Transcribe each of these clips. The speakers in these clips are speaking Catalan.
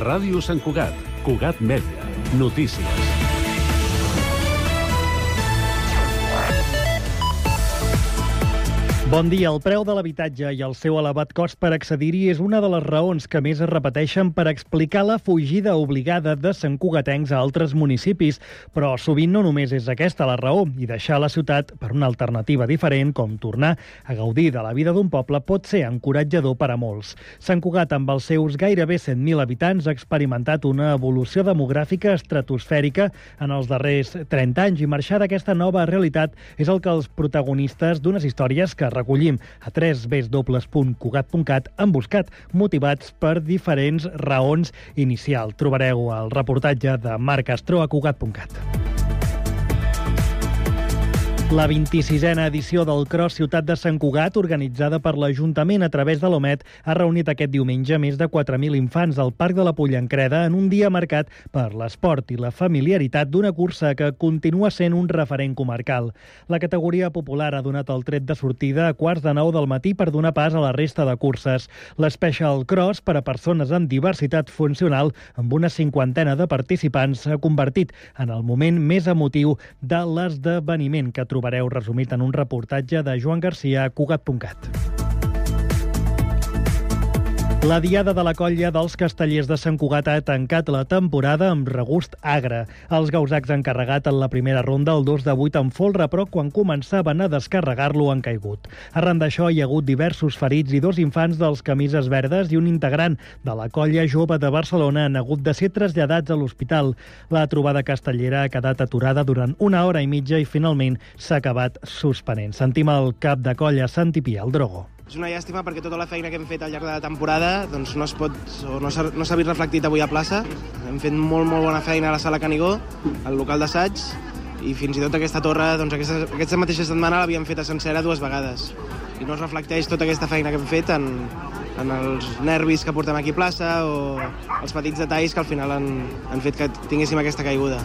Ràdio Sant Cugat. Cugat Mèdia. Notícies. Bon dia. El preu de l'habitatge i el seu elevat cost per accedir-hi és una de les raons que més es repeteixen per explicar la fugida obligada de santcugatencs a altres municipis. Però sovint no només és aquesta la raó, i deixar la ciutat per una alternativa diferent, com tornar a gaudir de la vida d'un poble, pot ser encoratjador per a molts. Sant Cugat, amb els seus gairebé 100.000 habitants, ha experimentat una evolució demogràfica estratosfèrica en els darrers 30 anys, i marxar d'aquesta nova realitat és el que els protagonistes d'unes històries que recollim a www.cugat.cat han buscat, motivats per diferents raons inicials. Trobareu el reportatge de Marc Castro a Cugat.cat. La 26a edició del Cross Ciutat de Sant Cugat, organitzada per l'Ajuntament a través de l'OMET, ha reunit aquest diumenge més de 4.000 infants al Parc de la Pollancreda en un dia marcat per l'esport i la familiaritat d'una cursa que continua sent un referent comarcal. La categoria popular ha donat el tret de sortida a 8:45 del matí per donar pas a la resta de curses. L'Special Cross, per a persones amb diversitat funcional, amb una 50ena de participants, s'ha convertit en el moment més emotiu de l'esdeveniment, que trobareu resumit en un reportatge de Joan Garcia a Cugat.cat. La Diada de la Colla dels Castellers de Sant Cugat ha tancat la temporada amb regust agre. Els gausacs han carregat en la primera ronda el 2 de 8 amb folre, però quan començaven a descarregar-lo han caigut. Arran d'això hi ha hagut diversos ferits i 2 infants dels camises verdes i un integrant de la Colla Jove de Barcelona han hagut de ser traslladats a l'hospital. La trobada castellera ha quedat aturada durant 1 hora i mitja i finalment s'ha acabat suspenent. Sentim el cap de colla, Santi Pia, el Drogo. És una llàstima perquè tota la feina que hem fet al llarg de la temporada doncs no s'ha vist reflectit avui a plaça. Hem fet molt bona feina a la sala Canigó, al local d'assaig, i fins i tot aquesta torre, doncs aquesta mateixa setmana l'havíem fet a sencera 2 vegades. I no es reflecteix tota aquesta feina que hem fet en els nervis que portem aquí a plaça o els petits detalls que al final han fet que tinguéssim aquesta caiguda.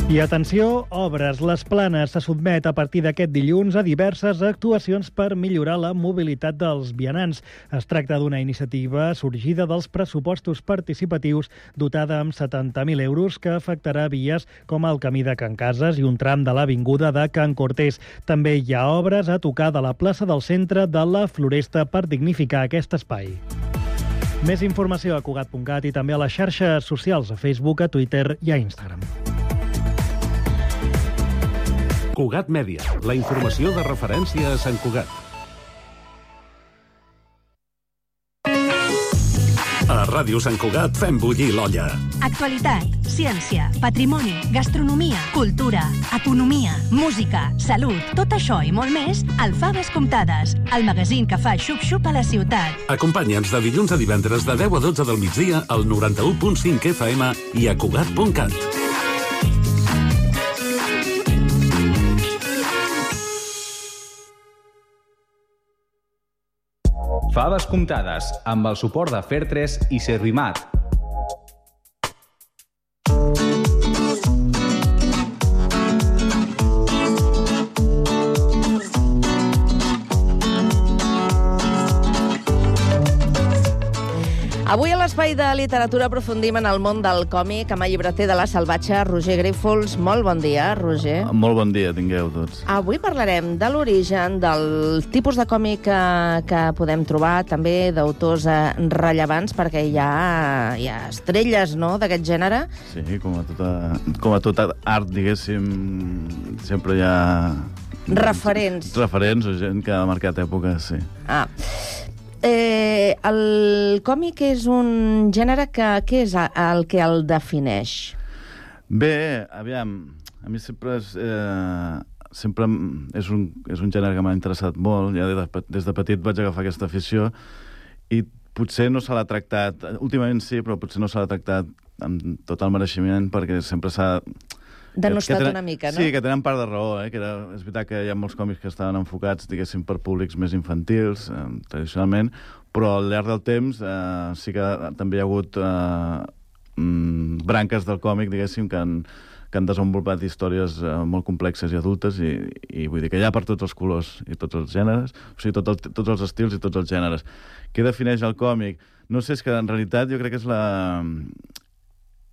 I atenció, Obres Les Planes se sotmet a partir d'aquest dilluns a diverses actuacions per millorar la mobilitat dels vianants. Es tracta d'una iniciativa sorgida dels pressupostos participatius dotada amb 70.000 euros que afectarà vies com el camí de Can Cases i un tram de l'avinguda de Can Cortés. També hi ha obres a tocar de la plaça del centre de la Floresta per dignificar aquest espai. Més informació a Cugat.cat i també a les xarxes socials, a Facebook, a Twitter i a Instagram. Cugat Mèdia, la informació de referència a Sant Cugat. A Ràdio Sant Cugat fem bullir l'olla. Actualitat, ciència, patrimoni, gastronomia, cultura, economia, música, salut, tot això i molt més al Faves Comptades, el magazín que fa xup-xup a la ciutat. Acompanya'ns de dilluns a divendres de 10 a 12 del migdia al 91.5 FM i a Cugat.cat. Faves Comptades, amb el suport de Fair3 i Servimat. Avui a l'Espai de Literatura aprofundim en el món del còmic amb el llibreter de La Salvatge, Roger Grífols. Molt bon dia, Roger. Molt bon dia, tingueu tots. Avui parlarem de l'origen, del tipus de còmic que podem trobar, també d'autors rellevants, perquè hi ha estrelles, no?, d'aquest gènere. Sí, com a tota art, diguéssim, sempre hi ha... Referents o gent que ha marcat èpoques, sí. El còmic és un gènere que... Què és el que el defineix? Bé, aviam, a mi sempre és un gènere que m'ha interessat molt. Ja des de petit vaig agafar aquesta afició i potser no se l'ha tractat... Últimament sí, però potser no se l'ha tractat amb tot el mereixement, perquè sempre s'ha... denostat una mica, no? Sí, que tenen part de raó, que és veritat que hi ha molts còmics que estaven enfocats, diguéssim, per públics més infantils, tradicionalment, però al llarg del temps sí que també hi ha hagut branques del còmic, diguéssim, que que han desenvolupat històries molt complexes i adultes i vull dir que hi ha per tots els colors i tots els gèneres, o sigui, tots els estils i tots els gèneres. Què defineix el còmic? No sé, és que en realitat jo crec que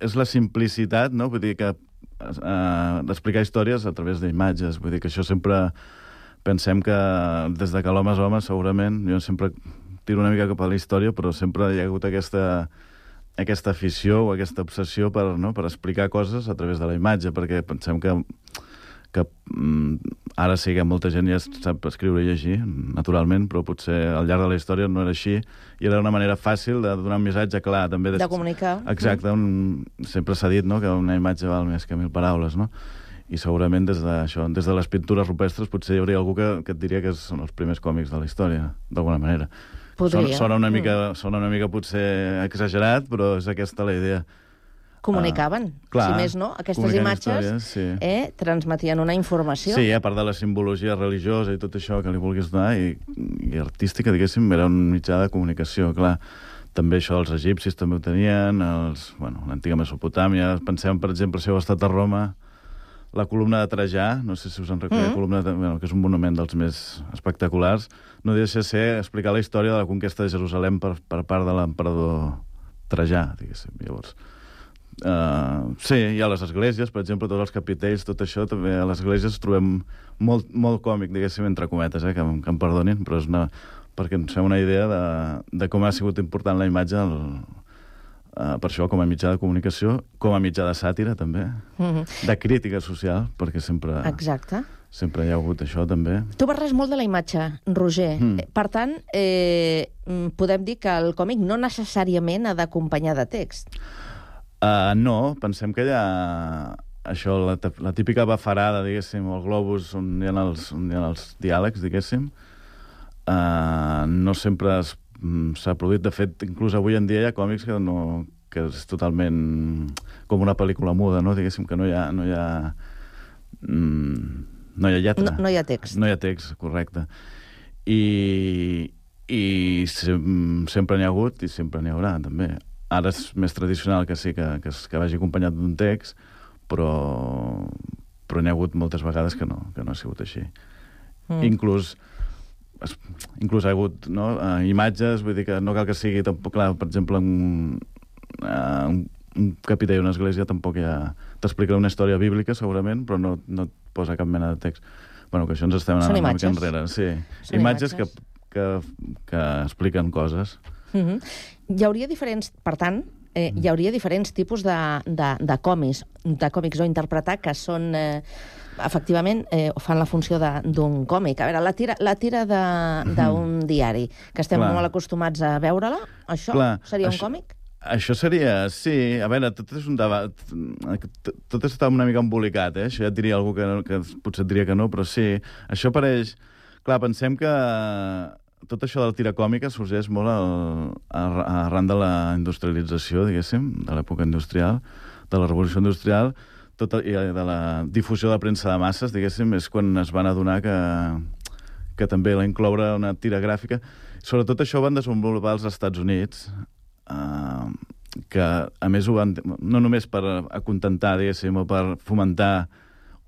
és la simplicitat, no? Vull dir que d'explicar històries a través d'imatges. Vull dir que això sempre pensem que des de que l'home és home, segurament, jo sempre tiro una mica cap a la història, però sempre hi ha hagut aquesta afició o aquesta obsessió per explicar coses a través de la imatge, perquè pensem que ara sí que molta gent ja sap escriure i llegir, naturalment, però potser al llarg de la història no era així, i era una manera fàcil de donar un missatge clar, també de comunicar. Exacte, sempre s'ha dit, no?, que una imatge val més que 1000 paraules, no? I segurament des de les pintures rupestres potser hi hauria algú que et diria que són els primers còmics de la història, d'alguna manera. Podria. Sona una mica potser exagerat, però és aquesta la idea. Comunicaven, si més no, aquestes imatges transmetien una informació. Sí, a part de la simbologia religiosa i tot això que li vulguis donar, i artística, diguéssim, era un mitjà de comunicació, clar. També això els egipcis també ho tenien, l'antiga Mesopotàmia. Pensem, per exemple, si heu estat a Roma, la columna de Trajà, no sé si us en recordeu, que és un monument dels més espectaculars, no deixa de ser explicar la història de la conquesta de Jerusalem per part de l'emperador Trajà, diguéssim. Llavors, sí, i a les esglésies, per exemple, tots els capitells, tot això, també a les esglésies trobem molt còmic, diguéssim, entre cometes, que em perdonin, però és perquè ens fem una idea de com ha sigut important la imatge per això, com a mitjà de comunicació, com a mitjà de sàtira, també, de crítica social, perquè sempre hi ha hagut això, també. Tu parles molt de la imatge, Roger. Per tant, podem dir que el còmic no necessàriament ha d'acompanyar de text. No, pensem que hi ha això, la típica bafarada, diguéssim, o el globus on hi ha els diàlegs, diguéssim, no sempre s'ha produït. De fet, inclús avui en dia hi ha còmics que és totalment com una pel·lícula muda, no? Diguéssim que no hi ha lletra. No hi ha text. No hi ha text, correcte. I sempre n'hi ha hagut i sempre n'hi haurà, també. Ara és més tradicional que sí, que vagi acompanyat d'un text, però n'hi ha hagut moltes vegades que no ha sigut així. Inclús ha hagut imatges, vull dir que no cal que sigui tampoc, clar, per exemple, un capitell d'una església tampoc t'explica una història bíblica, segurament, però no et posa cap mena de text. Bueno, que això ens estem anant una mica enrere. Sí, imatges que expliquen coses. Hi hauria diferents, per tant, hi hauria diferents tipus de còmics o interpretar que són... efectivament, fan la funció d'un còmic. A veure, la tira d'un diari, que estem molt acostumats a veure-la, això seria un còmic? Això seria, sí. A veure, tot és un debat. Tot està una mica embolicat, Això ja et diria algú que potser et diria que no, però sí. Això apareix... Clar, pensem que tot això de la tira còmica sorgeix molt arran de la industrialització, diguéssim, de l'època industrial, de la revolució industrial, i de la difusió de la premsa de masses, diguéssim, és quan es van adonar que també la incloure una tira gràfica. Sobretot això ho van desenvolupar als Estats Units, que a més ho van... No només per acontentar, diguéssim, o per fomentar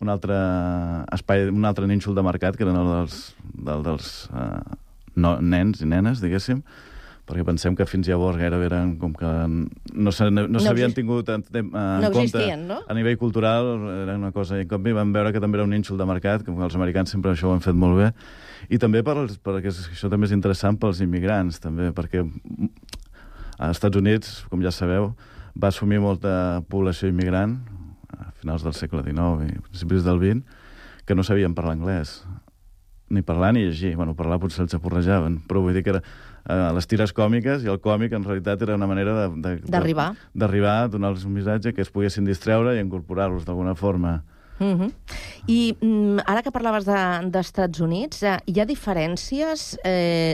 un altre espai, un altre nínxol de mercat, que eren el dels nens i nenes, diguéssim, perquè pensem que fins llavors gairebé eren com que no s'havien tingut en compte a nivell cultural, era una cosa, i en canvi van veure que també era un nínxol de mercat, que els americans sempre això ho han fet molt bé, i també perquè això també és interessant pels immigrants, també, perquè als Estats Units, com ja sabeu, va assumir molta població immigrant a finals del segle XIX i principis del XX, que no sabien parlar anglès, ni parlar ni llegir. Bueno, parlar potser els aporrejaven, però vull dir que les tires còmiques i el còmic en realitat era una manera d'arribar, a donar-los un missatge que es poguessin distreure i incorporar-los d'alguna forma. I ara que parlaves d'Estats Units, hi ha diferències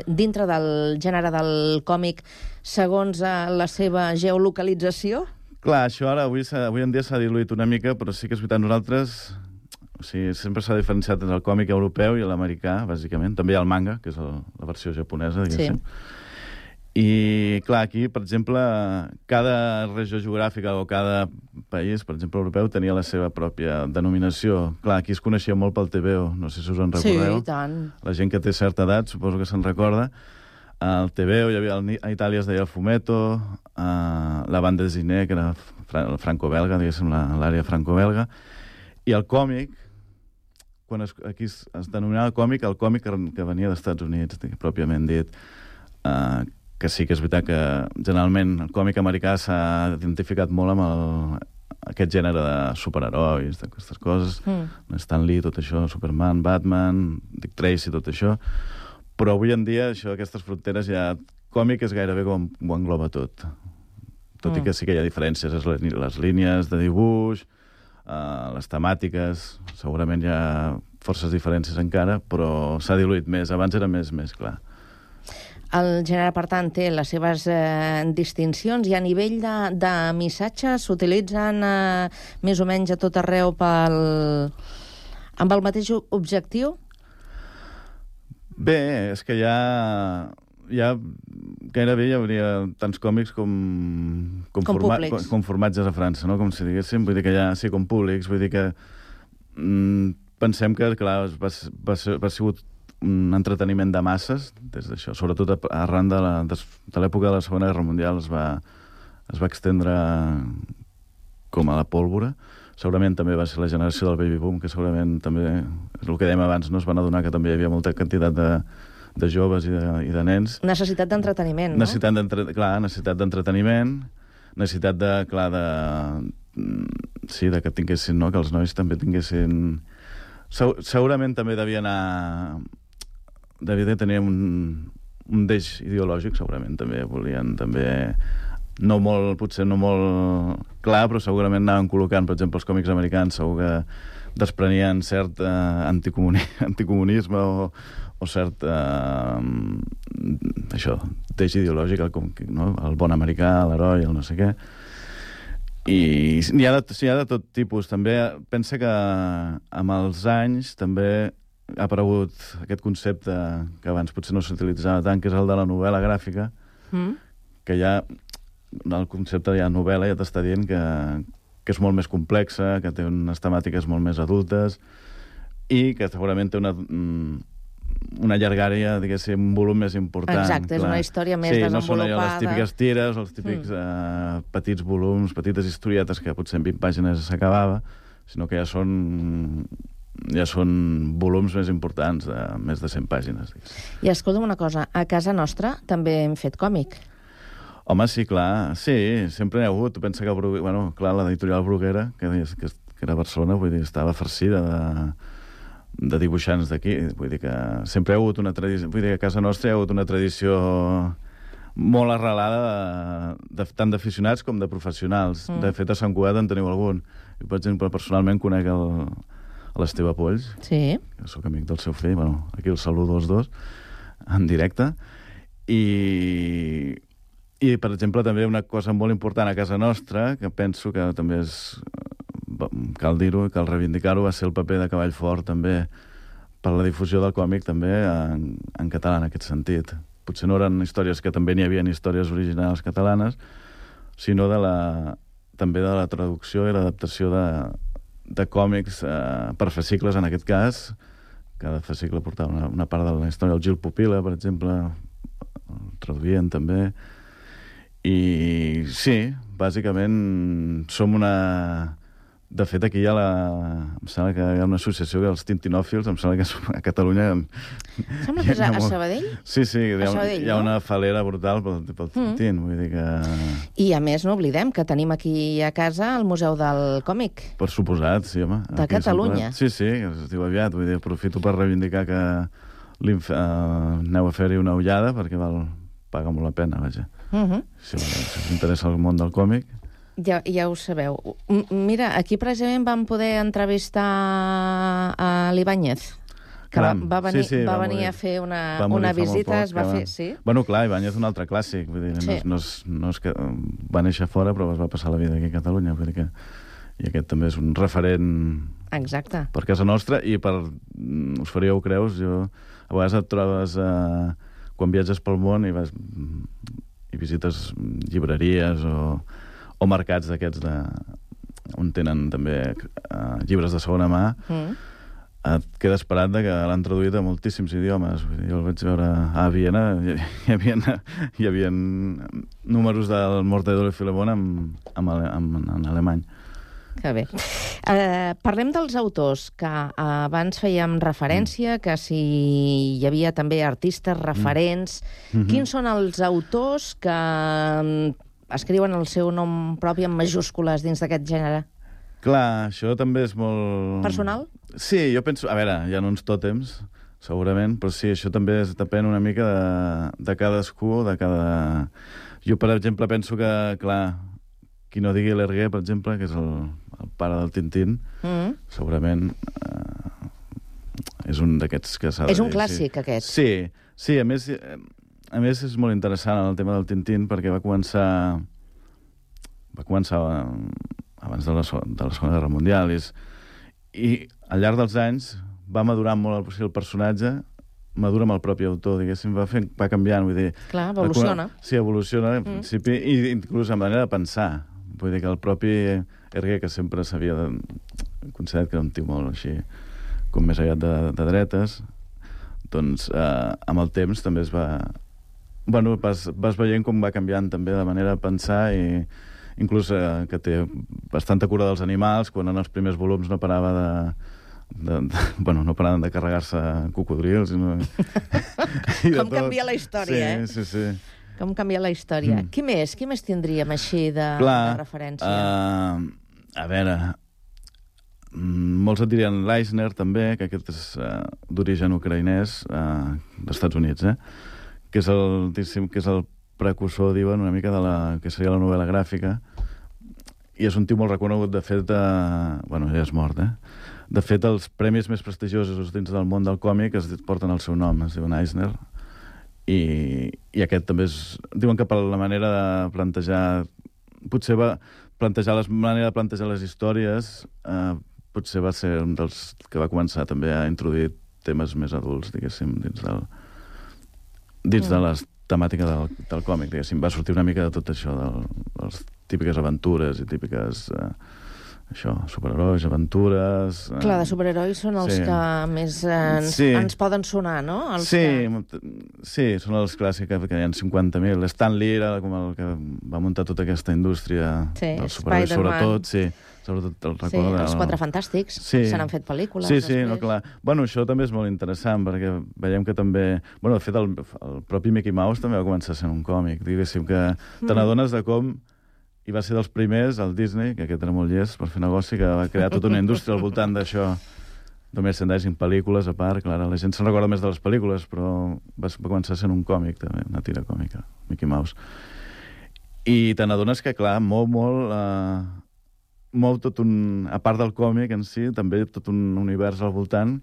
dintre del gènere del còmic segons la seva geolocalització? Clar, això ara avui en dia s'ha diluït una mica, però sí que és veritat, nosaltres... O sigui, sempre s'ha diferenciat entre el còmic europeu i l'americà, bàsicament. També hi ha el manga, que és la versió japonesa, diguéssim. I, clar, aquí, per exemple, cada regió geogràfica o cada país, per exemple, europeu, tenia la seva pròpia denominació. Clar, aquí es coneixia molt pel TVO, no sé si us en recordeu. Sí, i tant. La gent que té certa edat, suposo que se'n recorda. El TVO, hi havia a Itàlia es deia el Fumetto, la banda de Ziné, que era el franco-belga, diguéssim, l'àrea franco-belga, i el còmic, quan aquí es denominava còmic, el còmic que venia dels Estats Units, pròpiament dit, que sí que és veritat que generalment el còmic americà s'ha identificat molt amb aquest gènere de superherois, d'aquestes coses, Stan Lee, tot això, Superman, Batman, Dick Tracy, tot això, però avui en dia aquestes fronteres ja... Còmic és gairebé com ho engloba tot. Tot i que sí que hi ha diferències, les línies de dibuix, les temàtiques, segurament hi ha forces diferències encara, però s'ha diluït més. Abans era més clar. El gènere, per tant, té les seves distincions i a nivell de missatges s'utilitzen més o menys a tot arreu amb el mateix objectiu? Bé, és que gairebé hi hauria tants còmics com formatges a França, no? Com si diguéssim, vull dir que sí, com públics, vull dir que pensem que, clar, va sigut un entreteniment de masses, des d'això, sobretot arran de l'època de la Segona Guerra Mundial es va extendre com a la pólvora. Segurament també va ser la generació del baby boom, que segurament també, és el que dèiem abans, no? Es van adonar que també hi havia molta quantitat de joves i de nens. Necessitat d'entreteniment, no? Necessitat d'entreteniment, necessitat de que tinguessin, no? Que els nois també tinguessin... Segurament també devia tenir un deix ideològic, segurament també volien potser no molt clar, però segurament anaven col·locant, per exemple, els còmics americans segur que desprenien cert anticomunisme o cert deix ideològic, no? El bon americà, l'heroi, el no sé què. I n'hi ha de tot tipus. També pensa que amb els anys també ha aparegut aquest concepte que abans potser no s'utilitzava tant, que és el de la novel·la gràfica, que ja el concepte de novel·la ja t'està dient que és molt més complexa, que té unes temàtiques molt més adultes i que segurament té una llargària, diguéssim, un volum més important. Exacte, és una història més desenvolupada. Sí, no són les típiques tires, els típics petits volums, petites historietes que potser en 20 pàgines s'acabava, sinó que ja són volums més importants, de més de 100 pàgines. I escolta'm una cosa, a casa nostra també hem fet còmic. Home, sí, clar, sí, sempre n'hi ha hagut. Tu pensa que, clar, l'editorial Bruguera, que era a Barcelona, vull dir, estava farcida de dibuixants d'aquí. Vull dir que sempre hi ha hagut una tradició... Vull dir que a casa nostra hi ha hagut una tradició molt arrelada tant d'aficionats com de professionals. De fet, a Sant Cugat en teniu algun. Jo, per exemple, personalment conec l'Esteve Polls, que soc amic del seu fill. Aquí el saludo els dos, en directe. I, per exemple, també una cosa molt important a casa nostra, que penso que també cal dir-ho, cal reivindicar-ho, va ser el paper de Cavall Fort, també, per la difusió del còmic, també, en català, en aquest sentit. Potser no eren històries que també n'hi havia històries originals catalanes, sinó també de la traducció i l'adaptació de còmics per fascicles, en aquest cas. Cada fascicle portava una part de la història. El Gil Pupila, per exemple, el traduïen també. I sí, bàsicament som una... De fet, aquí em sembla que hi ha una associació, els tintinòfils, em sembla que a Catalunya... Sembla que és a Sabadell? Sí, hi ha una falera brutal pel tintín, vull dir que... I a més, no oblidem que tenim aquí a casa el Museu del Còmic. Per suposat, sí, home. De Catalunya. Sí, es diu aviat, vull dir, aprofito per reivindicar que aneu a fer-hi una ullada, perquè paga molt la pena, vaja. Si us interessa el món del còmic. Ja ho sabeu. Mira, aquí precisament vam poder entrevistar a l'Ibáñez, que va venir a fer una visita, es va fer... Sí? Bueno, clar, Ibáñez un altre clàssic, vull dir, no és que va néixer fora, però es va passar la vida aquí a Catalunya, vull dir que... I aquest també és un referent... Exacte. Per casa nostra, i us faríeu creus, a vegades et trobes... quan viatges pel món i visites llibreries o mercats d'aquests on tenen també llibres de segona mà, et quedes parat que l'han traduït a moltíssims idiomes. Jo el vaig veure a Viena, hi havia números del Mortadelo i Filemón en alemany. Que bé. Parlem dels autors, que abans fèiem referència, que si hi havia també artistes referents. Quins són els autors que escriuen el seu nom propi en majúscules dins d'aquest gènere? Clar, això també és molt... Personal? Sí, jo penso... A veure, hi ha uns tòtems, segurament, però sí, això també depèn una mica de cadascú, de cada... Jo, per exemple, penso que, clar, qui no digui l'Hergé, per exemple, que és el pare del Tintín, segurament és un d'aquests que s'ha de dir. És un clàssic, aquest. Sí, a més és molt interessant el tema del Tintín, perquè va començar abans de la Segona Guerra Mundial, i al llarg dels anys va madurar molt el personatge, madura amb el propi autor, diguéssim, va canviant, vull dir... Clar, evoluciona. Sí, evoluciona, al principi, i inclús en manera de pensar. Vull dir que el propi Hergé, que sempre s'havia considerat que era un tio molt així, com més aviat de dretes, doncs amb el temps també es va... Bueno, vas veient com va canviant també de manera de pensar, i inclús que té bastanta cura dels animals, quan en els primers volums no parava no paraven de carregar-se cocodrils. Com canvia la història, Sí. Com canvia la història. Qui més tindríem així de referència? A veure, molts et dirien l'Eisner, també, que aquest és d'origen ucraïnès, dels Estats Units, que és el precursor, diuen, una mica de la que seria la novel·la gràfica, i és un tio molt reconegut. De fet, bueno, ja és mort, De fet, els premis més prestigiosos dins del món del còmic es porten el seu nom, es diuen Eisner, i aquest també és... Diuen que per la manera de plantejar... Potser va plantejar la manera de plantejar les històries, potser va ser un dels que va començar també a introduir temes més adults, diguéssim, dins de les temàtica del còmic, diguéssim. Va sortir una mica de tot això, de les típiques aventures i típiques superherois, aventures... Clar, de superherois són els que més ens poden sonar, no? Sí, són els clàssics, que hi ha 50.000. Stan Lee era com el que va muntar tota aquesta indústria dels superherois, sobretot, sobretot el record els Quatre Fantàstics, se n'han fet pel·lícules després. Sí, clar. Bueno, això també és molt interessant, perquè veiem que també... Bueno, de fet, el propi Mickey Mouse també va començar sent un còmic, diguéssim, que te n'adones de com i va ser dels primers, el Disney, que aquest era molt llest per fer negoci, que va crear tota una indústria al voltant d'això, de merchandising, pel·lícules, a part, clar, la gent se'n recorda més de les pel·lícules, però va començar sent un còmic, també, una tira còmica, Mickey Mouse. I te n'adones que, clar, mou tot un... A part del còmic en si, també tot un univers al voltant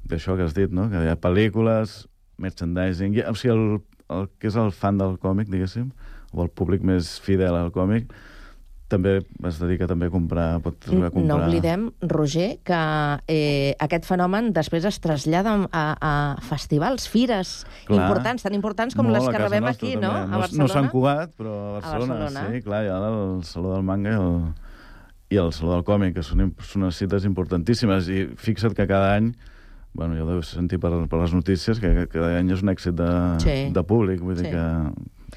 d'això que has dit, no? Que hi ha pel·lícules, merchandising... O sigui, el que és el fan del còmic, diguéssim, o el públic més fidel al còmic, també es dedica també a comprar, pot arribar a comprar... No oblidem, Roger, que aquest fenomen després es trasllada a festivals, fires importants, tan importants com les que rebem aquí, no? A Barcelona. No Sant Cugat, però a Barcelona. Sí, clar, hi ha el Saló del Manga i el Saló del Còmic, que són unes cites importantíssimes, i fixa't que cada any, bueno, jo ho deus sentir per les notícies, que cada any és un èxit de públic, vull dir que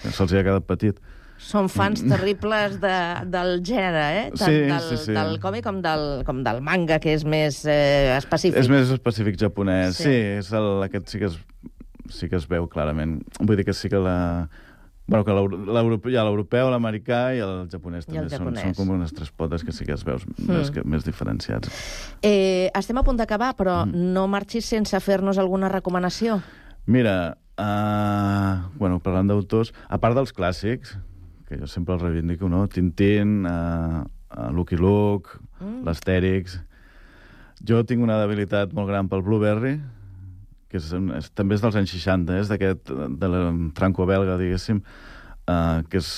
se'ls ha quedat petit. Són fans terribles del gènere, tant del còmic com del manga, que és més específic. És més específic japonès, sí, aquest sí que es veu clarament. Vull dir que sí que Bueno, que l'europeu, l'americà i el japonès també són com unes tres potes que sí que es veus més diferenciats. Estem a punt d'acabar, però no marxis sense fer-nos alguna recomanació. Mira, parlant d'autors, a part dels clàssics, que jo sempre els reivindico, no? Tintín, Lucky Luke, l'Astèrix... Jo tinc una debilitat molt gran pel Blueberry, que també és dels anys 60, de la franco-belga, diguéssim, que és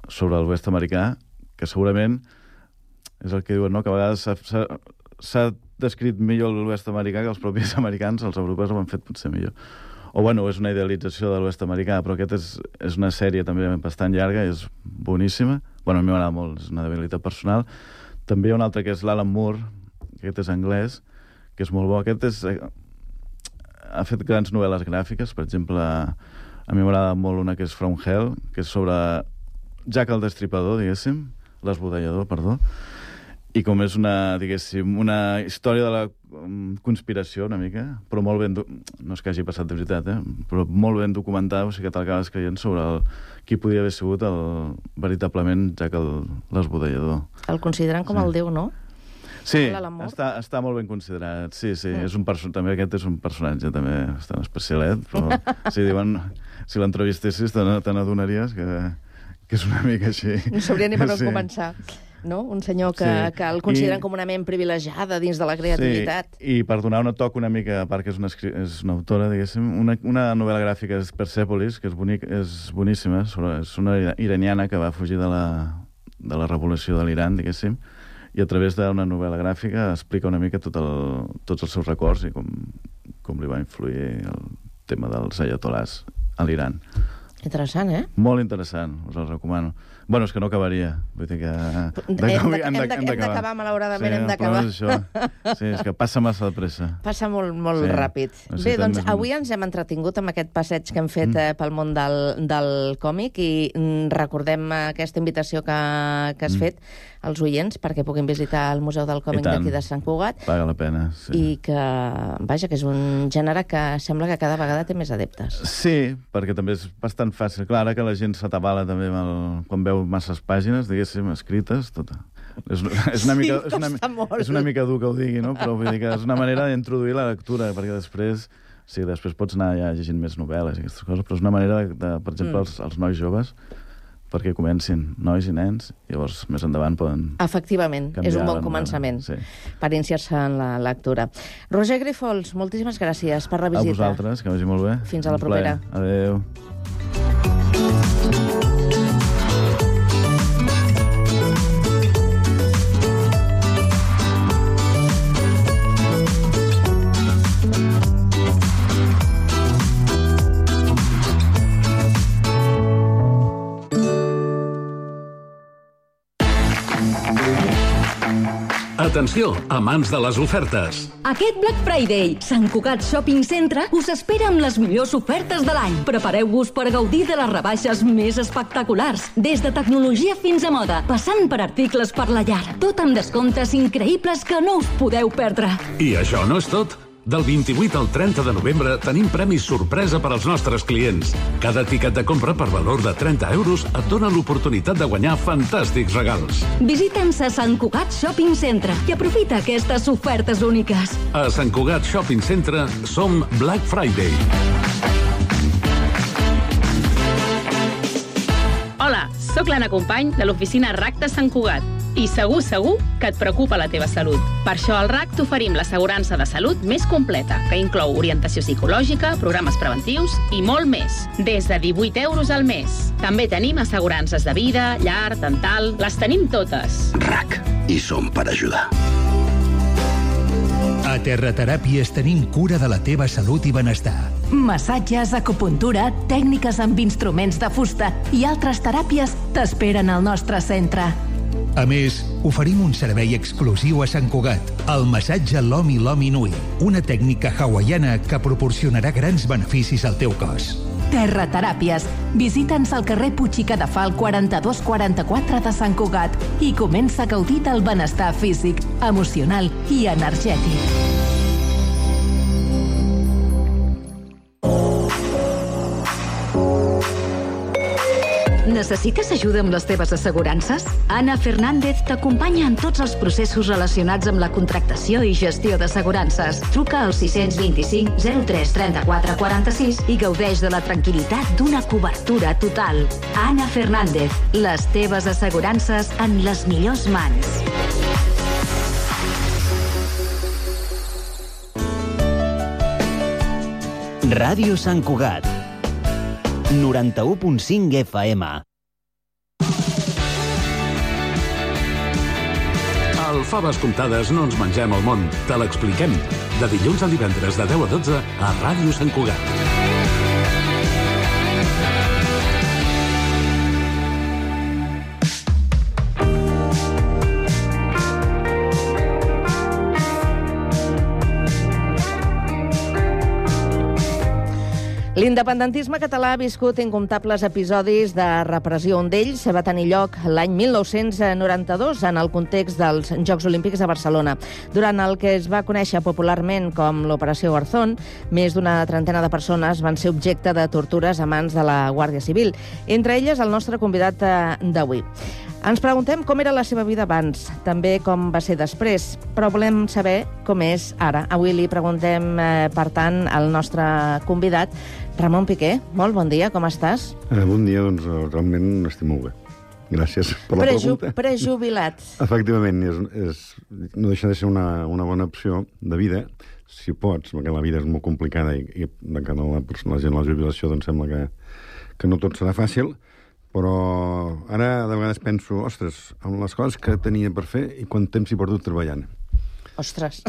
sobre l'oest americà, que segurament és el que diuen, no? Que a vegades s'ha descrit millor l'oest americà que els propis americans, els europeus ho han fet potser millor. O, bueno, és una idealització de l'oest americà, però aquest és una sèrie també bastant llarga, és boníssima. Bueno, a mi m'agrada molt, és una debilitat personal. També hi ha un altre que és l'Alan Moore, que aquest és anglès, que és molt bo. Aquest ha fet grans novel·les gràfiques, per exemple, a mi m'agrada molt una que és From Hell, que és sobre Jack el Destripador, diguéssim, l'esbudellador, perdó, i com és una, diguéssim, una història de la conspiració una mica, però molt ben... No és que hagi passat de veritat, però molt ben documentada, o sigui que t'acabes creient sobre qui podia haver sigut veritablement Jack l'esbudellador. El consideren com el déu, no? Sí, està molt ben considerat. Sí, és també aquest és un personatge també bastant especialet, però si diuen, si l'entrevistessis te n'adonaries que és una mica així. No sabria ni per on començar. No? Un senyor que el consideren com una ment privilegiada dins de la creativitat. Sí, i per donar un toc una mica, a part que és una autora, diguéssim, una novel·la gràfica és Persepolis, que és boníssima, és una iraniana que va fugir de la revolució de l'Iran, diguéssim, i a través d'una novel·la gràfica explica una mica tots els seus records i com li va influir el tema dels ayatolás a l'Iran. Interessant, Molt interessant, us el recomano. Bueno, és que no acabaria. Vull dir que... Hem d'acabar, malauradament, hem d'acabar. Sí, és que passa massa de pressa. Passa molt ràpid. Bé, doncs avui ens hem entretingut amb aquest passeig que hem fet pel món del còmic i recordem aquesta invitació que has fet als oients perquè puguin visitar el Museu del Còmic d'aquí de Sant Cugat. Paga la pena, sí. I que, vaja, que és un gènere que sembla que cada vegada té més adeptes. Sí, perquè també és bastant fàcil. Clar, que la gent s'atabala també quan veu masses pàgines, diguéssim, escrites, tot. És una mica dur que ho digui, no? Però vull dir que és una manera d'introduir la lectura, perquè després pots anar ja llegint més novel·les i aquestes coses, però és una manera, per exemple, els nois joves, perquè comencin, nois i nens, llavors més endavant poden... Efectivament, és un bon començament per iniciar-se en la lectura. Roger Grifols, moltíssimes gràcies per la visita. A vosaltres, que vagi molt bé. Fins a la propera. Adéu. Atenció, amants de les ofertes. Aquest Black Friday, Sant Cugat Shopping Centre us espera amb les millors ofertes de l'any. Prepareu-vos per gaudir de les rebaixes més espectaculars, des de tecnologia fins a moda, passant per articles per la llar. Tot amb descomptes increïbles que no us podeu perdre. I això no és tot. Del 28 al 30 de novembre tenim premis sorpresa per als nostres clients. Cada tiquet de compra per valor de 30 euros et dona l'oportunitat de guanyar fantàstics regals. Visita'ns a Sant Cugat Shopping Centre i aprofita aquestes ofertes úniques. A Sant Cugat Shopping Centre som Black Friday. Hola, sóc l'Anna Company de l'oficina RAC de Sant Cugat. I segur que et preocupa la teva salut. Per això al RAC t'oferim l'assegurança de salut més completa, que inclou orientació psicològica, programes preventius i molt més. Des de 18 euros al mes. També tenim assegurances de vida, llar, dental... Les tenim totes. RAC. I som per ajudar. A Terrateràpies tenim cura de la teva salut i benestar. Massatges, acupuntura, tècniques amb instruments de fusta i altres teràpies t'esperen al nostre centre. A més, oferim un servei exclusiu a Sant Cugat, el massatge Lomi Lomi Nui, una tècnica hawaiana que proporcionarà grans beneficis al teu cos. Terrateràpies. Visita'ns al carrer Puig i Cadafal 4244 de Sant Cugat i comença a gaudir del benestar físic, emocional i energètic. Necessites ajuda amb les teves assegurances? Ana Fernández t'acompanya en tots els processos relacionats amb la contractació i gestió d'assegurances. Truca al 625 03 34 46 i gaudeix de la tranquil·litat d'una cobertura total. Ana Fernández, les teves assegurances en les millors mans. Ràdio Sant Cugat 91.5 FM. Al Faves Comptades no ens mengem el món, te l'expliquem. De dilluns a divendres de 10 a 12 a Ràdio Sant Cugat. L'independentisme català ha viscut incomptables episodis de repressió. Un d'ells va tenir lloc l'any 1992 en el context dels Jocs Olímpics de Barcelona. Durant el que es va conèixer popularment com l'Operació Garzón, més d'una trentena de persones van ser objecte de tortures a mans de la Guàrdia Civil, entre elles el nostre convidat d'avui. Ens preguntem com era la seva vida abans, també com va ser després, però volem saber com és ara. Avui li preguntem, per tant, al nostre convidat, Ramon Piqué. Molt bon dia, com estàs? Bon dia, doncs realment estic molt bé. Gràcies per la pregunta. Prejubilat. Efectivament, no deixa de ser una bona opció de vida, si pots, perquè la vida és molt complicada i de cara a la gent a la jubilació doncs sembla que no tot serà fàcil, però ara de vegades penso, ostres, amb les coses que tenia per fer i quant temps he perdut treballant. Ostres,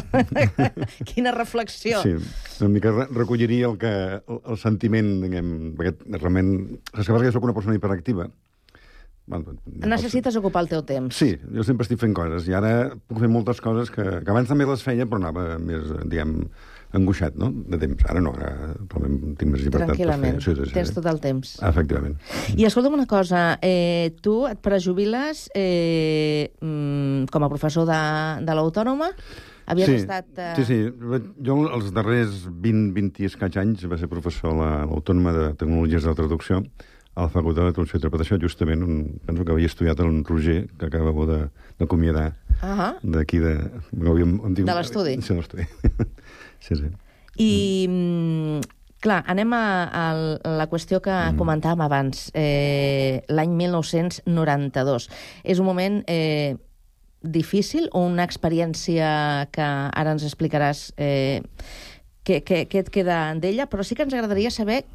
quina reflexió. Sí, una mica recolliria el sentiment, diguem, perquè realment... Saps que soc una persona hiperactiva. Necessites ocupar el teu temps. Sí, jo sempre estic fent coses, i ara puc fer moltes coses que abans també les feia, però anava més, diguem, angoixat, no?, de temps. Ara no, ara realment tinc més llibertat per fer. Tranquil·lament, tens tot el temps. Efectivament. I escolta'm una cosa, tu et prejubiles com a professor de l'Autònoma? Havies estat... Sí. Jo els darrers 20 i escaig anys va ser professor a l'Autònoma de Tecnologies de la Traducció, a la Facultat de Traducció i Interpretació, justament, penso que havia estudiat en Roger, que acabava d'acomiadar d'aquí de... De l'estudi. Sí, de l'estudi. Sí. I, clar, anem a la qüestió que comentàvem abans, l'any 1992. És un moment difícil o una experiència que ara ens explicaràs què et queda d'ella, però sí que ens agradaria saber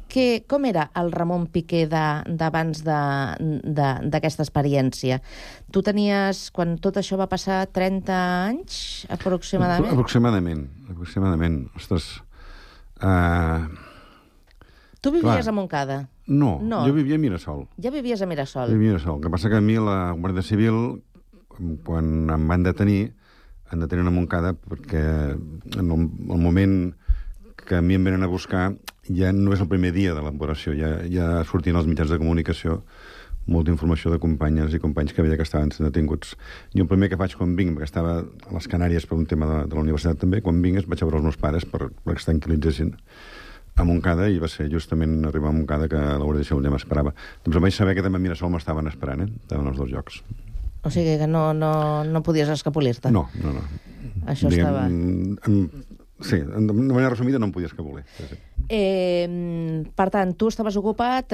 com era el Ramon Piqué d'abans d'aquesta experiència. Tu tenies, quan tot això va passar, 30 anys, aproximadament? Aproximadament. Ostres... Tu vivies a Montcada? No, jo vivia a Mirasol. Ja vivies a Mirasol? Vivia a Mirasol. El que passa que a mi la Guàrdia Civil, quan em van detenir a Montcada, perquè en el moment que a mi em venen a buscar ja no és el primer dia de l'operació, ja sortien als mitjans de comunicació molta informació de companyes i companys que veia que estaven sent detinguts. Jo el primer que faig quan vinc, perquè estava a les Canàries per un tema de la universitat també, quan vinc vaig a veure els meus pares perquè es tranquil·litzessin a Montcada, i va ser justament arribar a Montcada que la Guàrdia Civil ja m'esperava. Doncs em vaig saber que també a Mirasol m'estaven esperant, estaven els dos llocs. O sigui que no podies escapolir-te? No. Això estava... Sí, de manera resumida no em podies escapolir. Sí. Per tant, tu estaves ocupat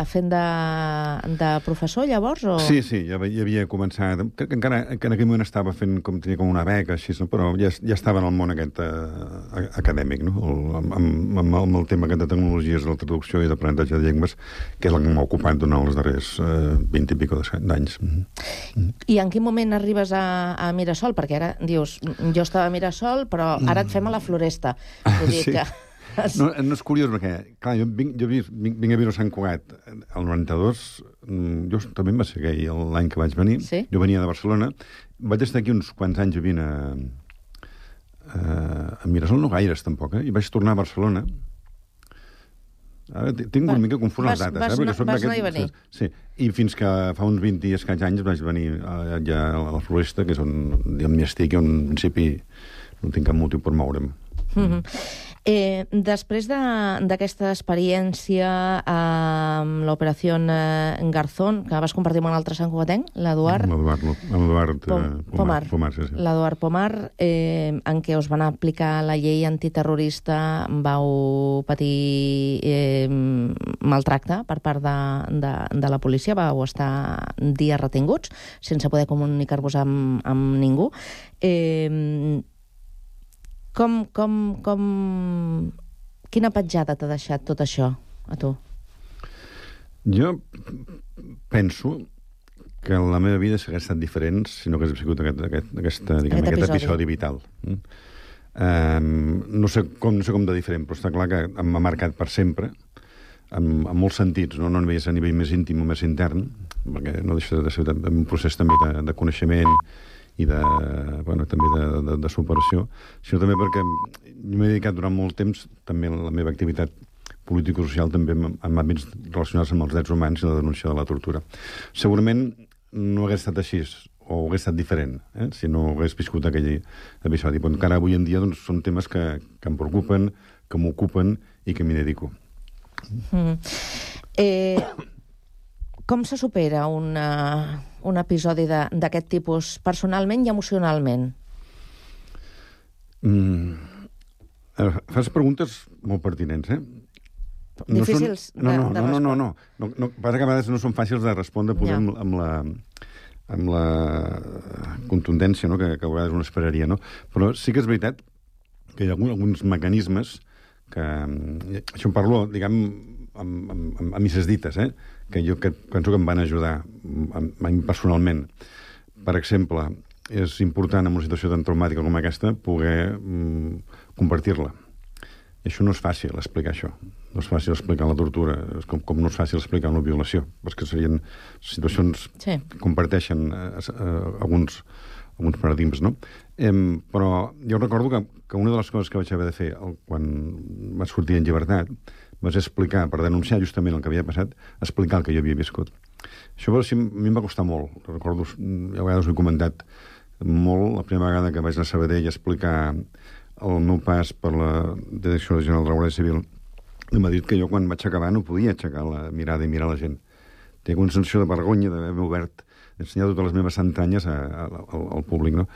fent de professor, llavors? O... Sí, ja havia començat... Crec que encara en aquell moment estava fent tenia com una beca, així, però ja estava en el món aquest acadèmic, no? Amb el tema de tecnologies de la traducció i d'aprenentatge de llengües, que és el que m'ha ocupat durant els darrers 20 i pico d'anys. I en quin moment arribes a Mirasol? Perquè ara dius, jo estava a Mirasol, però ara et fem a la Floresta. Vull dir que... No, és curiós, perquè, clar, jo vinc a viure a Sant Cugat el 92, jo també em va ser aquell l'any que vaig venir, jo venia de Barcelona, vaig estar aquí uns quants anys vivint a Mirasol, no gaires tampoc, i vaig tornar a Barcelona. Ara tinc una mica confús les dates. Vas anar i venir. Sí, i fins que fa uns 20 i escaig anys vaig venir ja a la Floresta, que és on m'hi estic, i on en principi no tinc cap motiu per moure'm. Després d'aquesta experiència amb l'operació Garzón, que vas compartir amb un altre santcugatenc, l'Eduard Pomar, l'Eduard Pomar, en què us van aplicar la llei antiterrorista, vau patir maltracte per part de la policia, vau estar dies retinguts sense poder comunicar-vos amb ningú. Quina petjada t'ha deixat tot això, a tu? Jo penso que la meva vida s'hagués estat diferent si no hagués sigut aquest episodi vital. No sé com de diferent, però està clar que m'ha marcat per sempre, en molts sentits, no només a nivell més íntim o més intern, perquè no deixa de ser un procés també de coneixement i també de superació, sinó també perquè m'he dedicat durant molt temps també la meva activitat polític-social també en àmbits relacionats amb els drets humans i la denúncia de la tortura. Segurament no hagués estat així, o hagués estat diferent, si no hagués viscut aquell episodi. Però encara avui en dia doncs, són temes que em preocupen, que m'ocupen i que m'hi dedico. Com se supera un episodi d'aquest tipus personalment i emocionalment? Fas preguntes molt pertinents, Difícils de respondre. No. Passa que a vegades no són fàcils de respondre amb la contundència que a vegades un esperaria, no? Però sí que és veritat que hi ha alguns mecanismes que... Això en parlo, diguem, amb misses dites, que jo penso que em van ajudar a mi personalment. Per exemple, és important en una situació tan traumàtica com aquesta poder compartir-la. I això no és fàcil explicar això. No és fàcil explicar la tortura, com no és fàcil explicar una violació, perquè serien situacions que comparteixen alguns paradigmes, no? Però jo recordo que una de les coses que vaig haver de fer quan vaig sortir en llibertat va ser explicar, per denunciar justament el que havia passat, explicar el que jo havia viscut. Això a mi em va costar molt. Recordo, a vegades ho he comentat molt, la primera vegada que vaig anar a Sabadell a explicar el meu pas per la Direcció Regional de la Guàrdia Civil, m'ha dit que jo quan vaig acabar no podia aixecar la mirada i mirar la gent. Tinc una sensació de vergonya d'haver-me obert, d'ensenyar totes les meves entranyes al públic, no?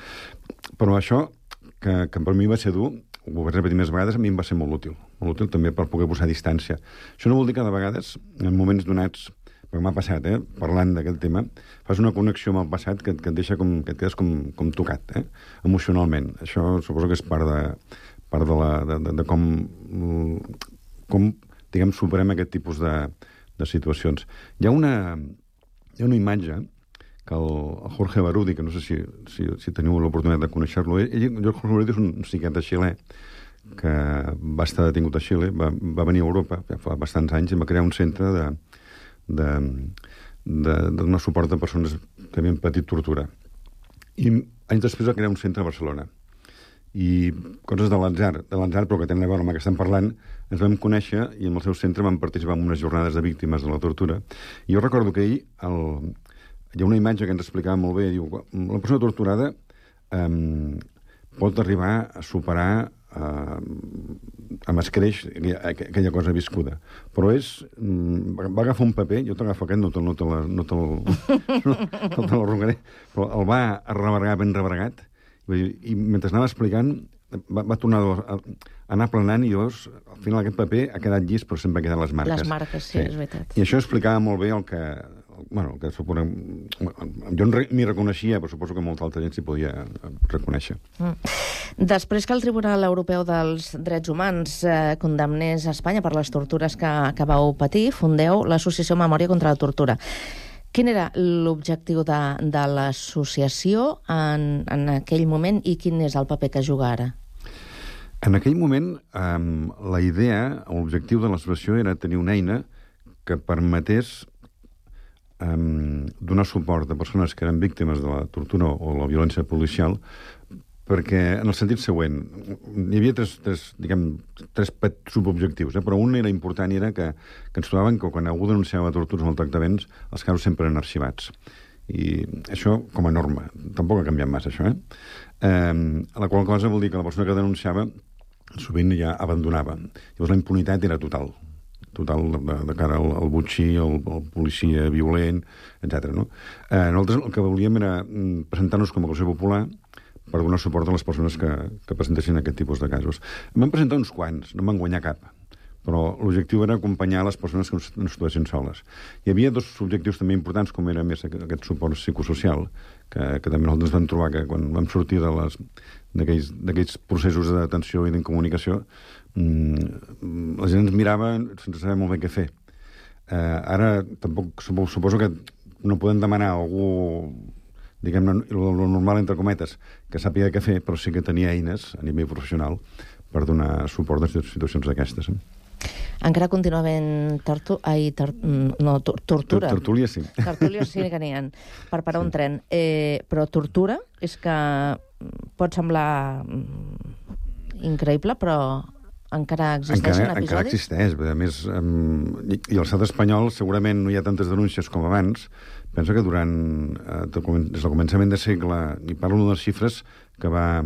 Però això, que per mi va ser dur, ho vaig repetir més vegades, a mi em va ser molt útil també per poder posar distància. Això no vol dir que de vegades, en moments donats, perquè m'ha passat, parlant d'aquest tema, fas una connexió amb el passat que et deixa que et quedes com tocat, emocionalment. Això suposo que és part de com diguem, superem aquest tipus de situacions. Hi ha una imatge que el Jorge Barudi, que no sé si teniu l'oportunitat de conèixer-lo, Jorge Barudi és un psiquiatre xilè que va estar detingut a Xile, va venir a Europa fa bastants anys i va crear un centre de donar suport a persones que havien patit tortura. I anys després va crear un centre a Barcelona. I coses de l'atzar, però que tenen a veure amb el que estem parlant, ens vam conèixer i en el seu centre vam participar en unes jornades de víctimes de la tortura. I jo recordo que ell, hi ha una imatge que ens explicava molt bé, diu, la persona torturada pot arribar a superar amb escreix aquella cosa viscuda. Però va agafar un paper, jo t'agafo aquest, no te l'arrugaré, però el va arrebregar ben rebregat, i mentre anava explicant va tornar a anar aplanant i llavors, al final aquest paper ha quedat llis, però sempre queden les marques. Les marques, sí, és veritat. I això explicava molt bé el que suposa... Jo m'hi reconeixia, però suposo que molta altra gent s'hi podia reconèixer. Després que el Tribunal Europeu dels Drets Humans condemnés a Espanya per les tortures que vau patir, fundeu l'Associació Memòria contra la Tortura. Quin era l'objectiu de l'associació en aquell moment i quin és el paper que juga ara? En aquell moment, la idea, l'objectiu de l'associació era tenir una eina que permetés donar suport a persones que eren víctimes de la tortura o la violència policial, perquè en el sentit següent hi havia tres subobjectius, però un era important i era que ens trobaven que quan algú denunciava tortures o maltractaments els casos sempre eren arxivats, i això com a norma tampoc ha canviat massa això, la qual cosa vol dir que la persona que denunciava sovint ja abandonava, llavors la impunitat era total de cara al botxí, al policia violent, etc. Nosaltres el que volíem era presentar-nos com a acusació popular per donar suport a les persones que presentessin aquest tipus de casos. Em van presentar uns quants, no em van guanyar cap, però l'objectiu era acompanyar les persones que no es trobessin soles. Hi havia dos objectius també importants, com era més aquest suport psicosocial, que també nosaltres vam trobar que quan vam sortir d'aquells processos de detenció i d'incomunicació, la gent ens mirava sense saber molt bé què fer. Ara tampoc suposo que no podem demanar a algú, diguem-ne, lo normal entre cometes, que sàpiga què fer, però sí que tenia eines a nivell professional per donar suport a situacions d'aquestes. Encara continua havent tortura. Tertúlies sí. Tertúlies sí que n'hi ha, per parar un tren. Però tortura és que pot semblar increïble, però Encara existeixen episodis? Encara existeix. A més, i l'estat espanyol segurament no hi ha tantes denúncies com abans. Penso que des del començament de segle, i parlo de les xifres que va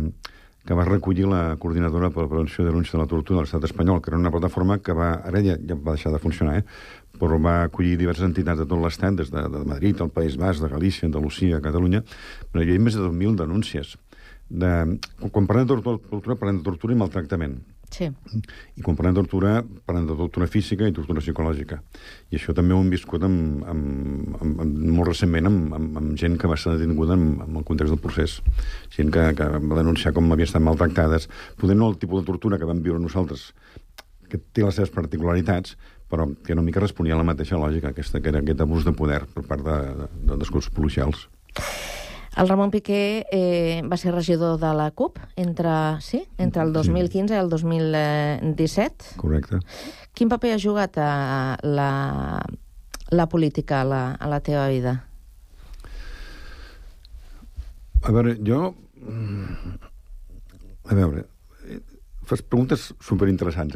recollir la Coordinadora per la Prevenció de Denúncia de la Tortura de l'estat espanyol, que era una plataforma que ara ja va deixar de funcionar, però va acollir diverses entitats de tot l'estat, des de Madrid, el País Basc, de Galícia, Andalusia, Catalunya. Però hi ha més de 2.000 denúncies. Quan parlem de tortura, parlem de tortura i maltractament. Sí. I quan parlem de tortura física i tortura psicològica. I això també ho hem viscut molt recentment amb gent que va ser detinguda en el context del procés. Gent que va denunciar com havien estat maltractades. Poder no el tipus de tortura que vam viure nosaltres, que té les seves particularitats, però que una mica responia a la mateixa lògica, que era aquest abús de poder per part dels cossos policials. El Ramon Piqué va ser regidor de la CUP entre el 2015 i el 2017. Correcte. Quin paper ha jugat la política a la teva vida? A veure, fas preguntes superinteressants,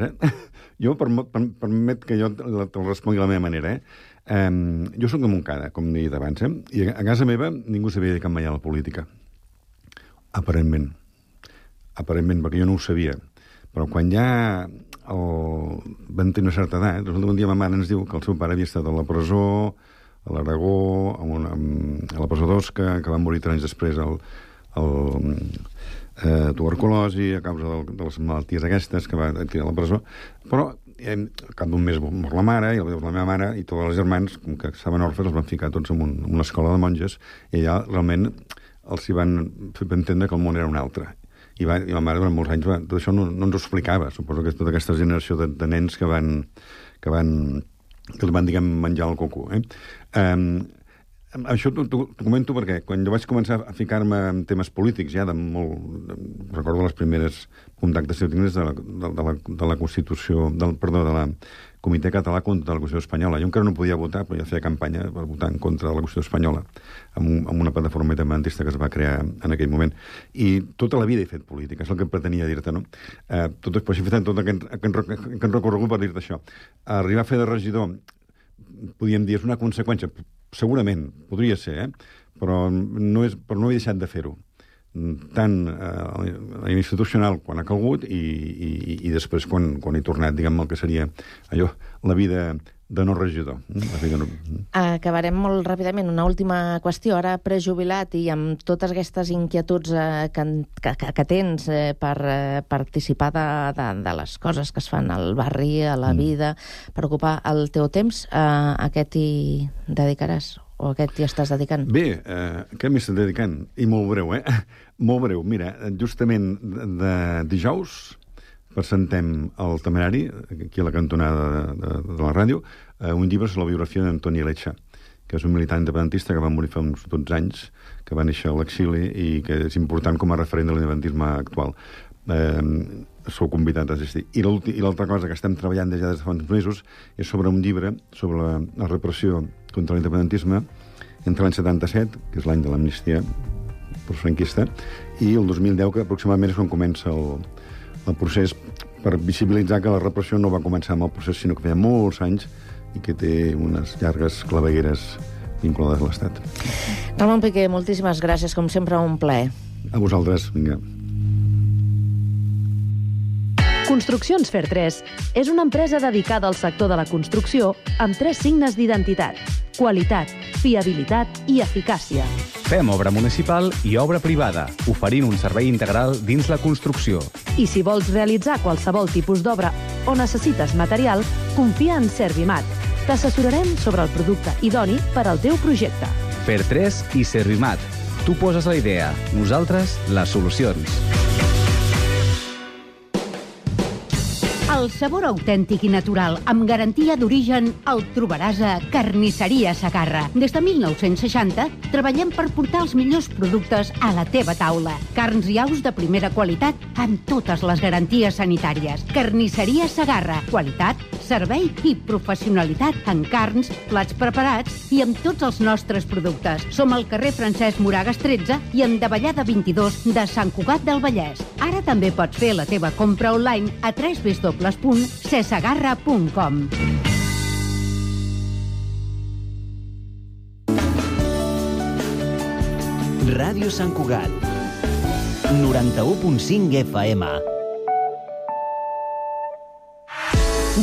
Jo, permet que jo te'l respongui de la meva manera, Jo soc de Montcada, com he dit abans, i a casa meva ningú s'havia dedicat mai a la política. Aparentment, perquè jo no ho sabia. Però quan ja van tenir una certa edat, un dia ma mare ens diu que el seu pare havia estat a la presó, a l'Aragó, a la presó d'Osca, que va morir 3 anys després tuberculosi a causa de les malalties aquestes que va tirar a la presó. Però al cap d'un mes mor la mare, i la meva mare i tots els germans, com que estaven orfes, els van ficar tots en una escola de monges, i allà realment els hi van fer entendre que el món era un altre. I la mare durant molts anys tot això no ens ho explicava. Suposo que és tota aquesta generació de nens que els van, diguem, menjar el coco. Això t'ho comento perquè quan jo vaig començar a ficar-me en temes polítics, ja recordo les primeres contactes que tinc de la Constitució, de la Comitè Català contra la Constitució Espanyola. Jo encara no podia votar, però ja feia campanya per votar en contra de la Constitució Espanyola, amb una plataforma independentista que es va crear en aquell moment. I tota la vida he fet política, és el que pretenia dir-te, no? Però he fet tot aquest recorregut per dir-te això. Arribar a fer de regidor, podríem dir, és una conseqüència. Segurament, podria ser, però no he deixat de fer-ho. Tant a institucional quan ha calgut i després quan he tornat, diguem, el que seria allò, la vida de no regidor. Acabarem molt ràpidament. Una última qüestió. Ara prejubilat i amb totes aquestes inquietuds que tens per participar de les coses que es fan al barri, a la vida, per ocupar el teu temps, a què t'hi dedicaràs? O a què t'hi estàs dedicant? Bé, què m'hi estic dedicant? I molt breu, Molt breu. Mira, justament de dijous presentem al Temerari, aquí a la cantonada de la ràdio, un llibre sobre la biografia d'Antoni Lecha, que és un militant independentista que va morir fa uns 12 anys, que va néixer a l'exili i que és important com a referent de l'independentisme actual. Sou convidat a assistir. I l'altra cosa que estem treballant des de fa uns mesos és sobre un llibre sobre la repressió contra l'independentisme entre l'any 77, que és l'any de l'amnistia franquista, i el 2010, que aproximadament és quan comença el procés, per visibilitzar que la repressió no va començar amb el procés, sinó que feia molts anys i que té unes llargues clavegueres vinculades a l'Estat. Ramon Piqué, moltíssimes gràcies, com sempre, un plaer. A vosaltres, vinga. Construccions Fer 3 és una empresa dedicada al sector de la construcció amb 3 signes d'identitat: qualitat, fiabilitat i eficàcia. Fem obra municipal i obra privada, oferint un servei integral dins la construcció. I si vols realitzar qualsevol tipus d'obra o necessites material, confia en Servimat. T'assessorarem sobre el producte idoni per al teu projecte. Fer 3 i Servimat. Tu poses la idea, nosaltres les solucions. El sabor autèntic i natural, amb garantia d'origen, el trobaràs a Carnisseria Segarra. Des de 1960 treballem per portar els millors productes a la teva taula. Carns i aus de primera qualitat amb totes les garanties sanitàries. Carnisseria Segarra. Qualitat, servei i professionalitat en carns, plats preparats i amb tots els nostres productes. Som al carrer Francesc Moragas 13 i en Davallada 22 de Sant Cugat del Vallès. Ara també pots fer la teva compra online a www.cesagarra.com. Ràdio Sant Cugat 91.5 FM.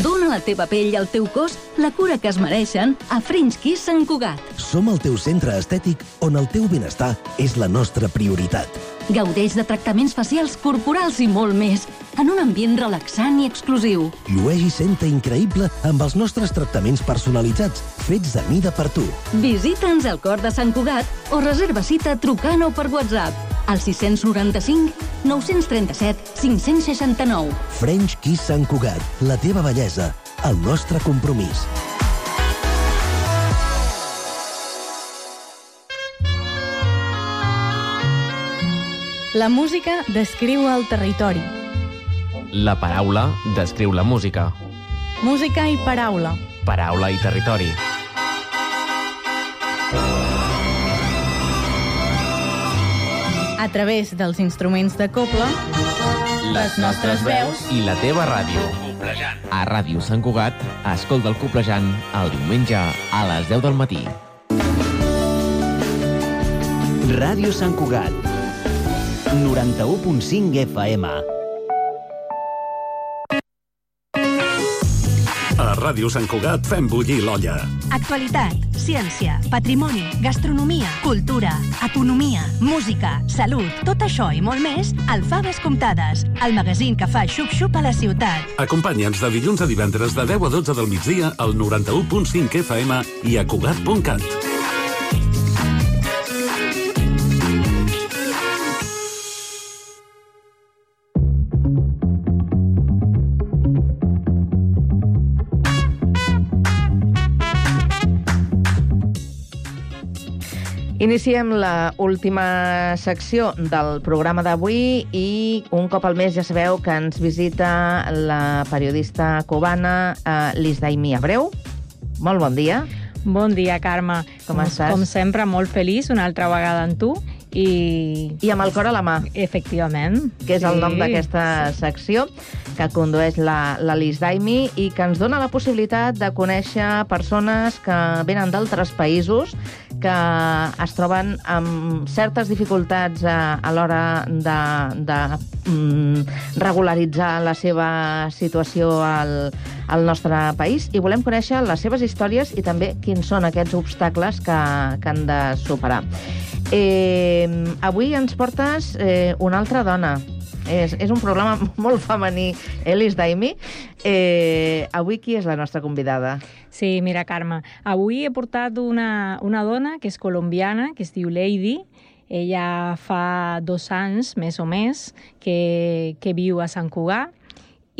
Dóna a la teva pell i al teu cos la cura que es mereixen a French Kiss Sant Cugat. Som el teu centre estètic on el teu benestar és la nostra prioritat. Gaudeix de tractaments facials, corporals i molt més, en un ambient relaxant i exclusiu. Llueix i senta increïble amb els nostres tractaments personalitzats, fets de mida per tu. Visita'ns al cor de Sant Cugat o reserva cita trucant o per WhatsApp al 695 937 569. French Kiss Sant Cugat, la teva bellesa, el nostre compromís. La música descriu el territori. La paraula descriu la música. Música i paraula. Paraula i territori. A través dels instruments de cobla, les nostres veus i la teva ràdio. A Ràdio Sant Cugat, escolta el Coplejant el diumenge a les 10 del matí. Ràdio Sant Cugat 91.5 FM. A Ràdio Sant Cugat fem bullir l'olla. Actualitat, ciència, patrimoni, gastronomia, cultura, economia, música, salut, tot això i molt més al Faves Comptades, el magazín que fa xup-xup a la ciutat. Acompanya'ns de dilluns a divendres de 10 a 12 del migdia al 91.5 FM i a Cugat.cat. Iniciem la última secció del programa d'avui i un cop al mes ja sabeu que ens visita la periodista cubana Liz Daimi Abreu. Molt bon dia. Bon dia, Carme. Com estàs? Com sempre, molt feliç una altra vegada amb tu. I amb el cor a la mà. Efectivament. Que és el nom d'aquesta secció que condueix la Liz Daimi i que ens dona la possibilitat de conèixer persones que venen d'altres països que es troben amb certes dificultats a l'hora de regularitzar la seva situació al nostre país i volem conèixer les seves històries i també quins són aquests obstacles que han de superar. Avui ens portes una altra dona. És un programa molt femení, Liz Daimi. Avui qui és la nostra convidada? Sí, mira, Carme, avui he portat una dona que és colombiana, que es diu Lady. Ella fa 2 anys, més o més, que viu a Sant Cugat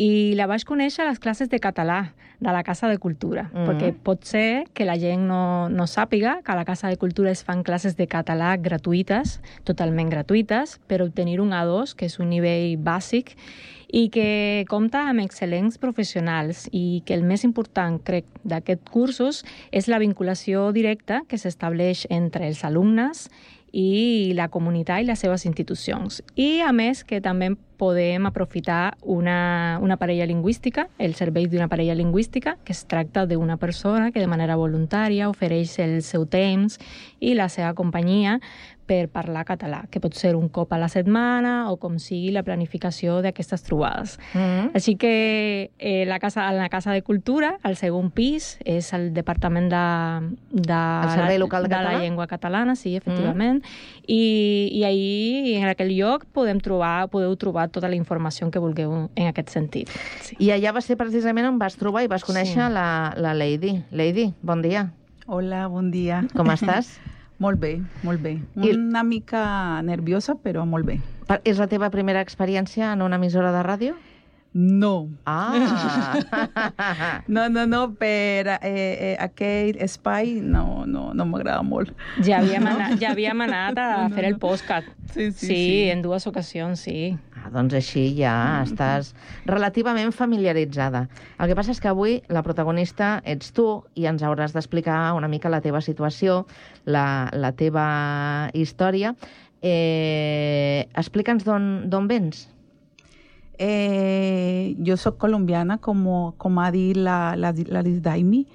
i la vaig conèixer a les classes de català de la Casa de Cultura, perquè pot ser que la gent no sàpiga que a la Casa de Cultura es fan classes de català gratuïtes, totalment gratuïtes, per obtenir un A2, que és un nivell bàsic, i que compta amb excel·lents professionals i que el més important, crec, d'aquests cursos és la vinculació directa que s'estableix entre els alumnes i la comunitat i les seves institucions. I, a més, que també podem aprofitar una parella lingüística, el servei d'una parella lingüística, que es tracta d'una persona que de manera voluntària ofereix el seu temps i la seva companyia per parlar català, que pot ser un cop a la setmana o com sigui la planificació d'aquestes trobades. Així que en la Casa de Cultura, al segon pis, és el Departament de Servei Local de Català? La Llengua Catalana, sí, efectivament. I ahir, en aquell lloc, podeu trobar tota la informació que vulgueu en aquest sentit. Sí. I allà va ser precisament on vas trobar i vas conèixer la Lady. Lady, bon dia. Hola, bon dia. Com estàs? Molt bé, molt bé. Una mica nerviosa, però molt bé. És la teva primera experiència en una emissora de ràdio? No. Ah! No, per aquell espai no m'agrada molt. Ja havíem anat a fer el podcast. Sí, en 2 ocasions, sí. doncs així ja estàs relativament familiaritzada. El que passa és que avui la protagonista ets tu i ens hauràs d'explicar una mica la teva situació, la teva història. Explica'ns d'on vens. Jo soc colombiana, com ha dit la Lisdaimi.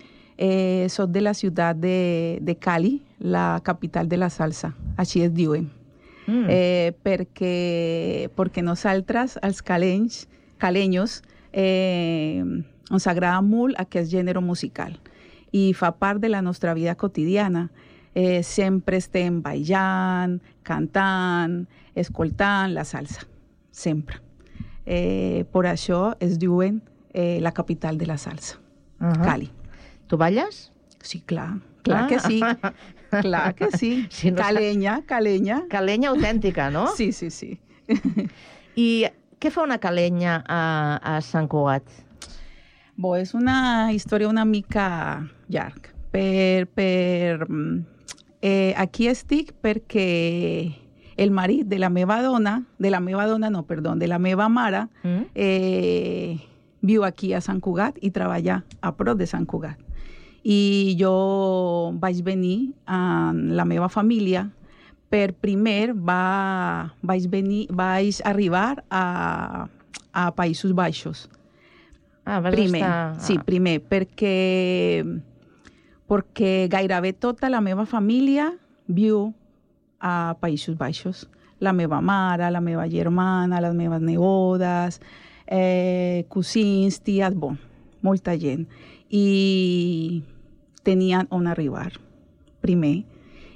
Soc de la ciutat de Cali, la capital de la salsa. Així es diuen. Perquè nosaltres, els calenyos, ens agrada molt aquest gènere musical i fa part de la nostra vida quotidiana. Sempre estem ballant, cantant, escoltant la salsa, sempre. Per això es diuen la capital de la salsa, Cali. Tu balles? Sí, clar que sí. Clar que sí. Si no calenya. Calenya autèntica, no? Sí. I què fa una calenya a Sant Cugat? És una història una mica llarga. Aquí estic perquè el marit de la meva mare, viu aquí a Sant Cugat i treballa a prop de Sant Cugat. I jo vaig venir amb la meva família primer vaig arribar a Països Baixos. Primer, perquè gairebé tota la meva família viu a Països Baixos. La meva mare, la meva germana, les meves nebodes, cosins, ties, molta gent. I tenien on arribar, primer.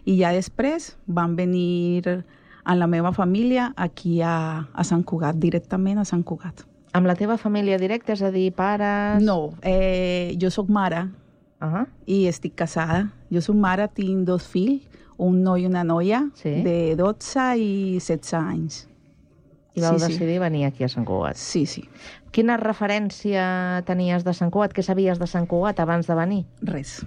I ja després van venir amb la meva família aquí a Sant Cugat, directament a Sant Cugat. Amb la teva família directa, és a dir, pares... No, jo soc mare i estic casada. Jo soc mare, tinc 2 fills, un noi i una noia de 12 i 16 anys. I vau decidir venir aquí a Sant Cugat. Sí. Quina referència tenies de Sant Cugat? Què sabies de Sant Cugat abans de venir? Res.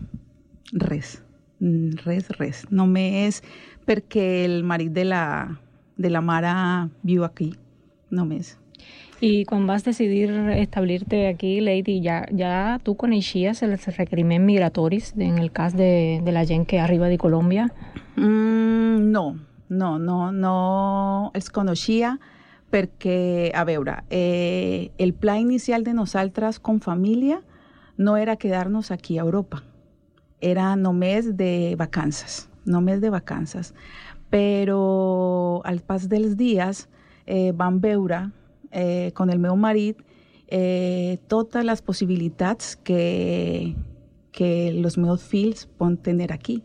Només perquè el marit de la mare viu aquí, només. I quan vas decidir establir-te aquí, Lady, ja tu coneixies els requeriments migratoris en el cas de la gent que arriba de Colòmbia? No els coneixia perquè, a veure, el pla inicial de nosaltres com família no era quedar-nos aquí a Europa. Era només de vacances. Però al pas dels dies vam veure con el meu marit totes les possibilitats que els meus fills poden tenir aquí.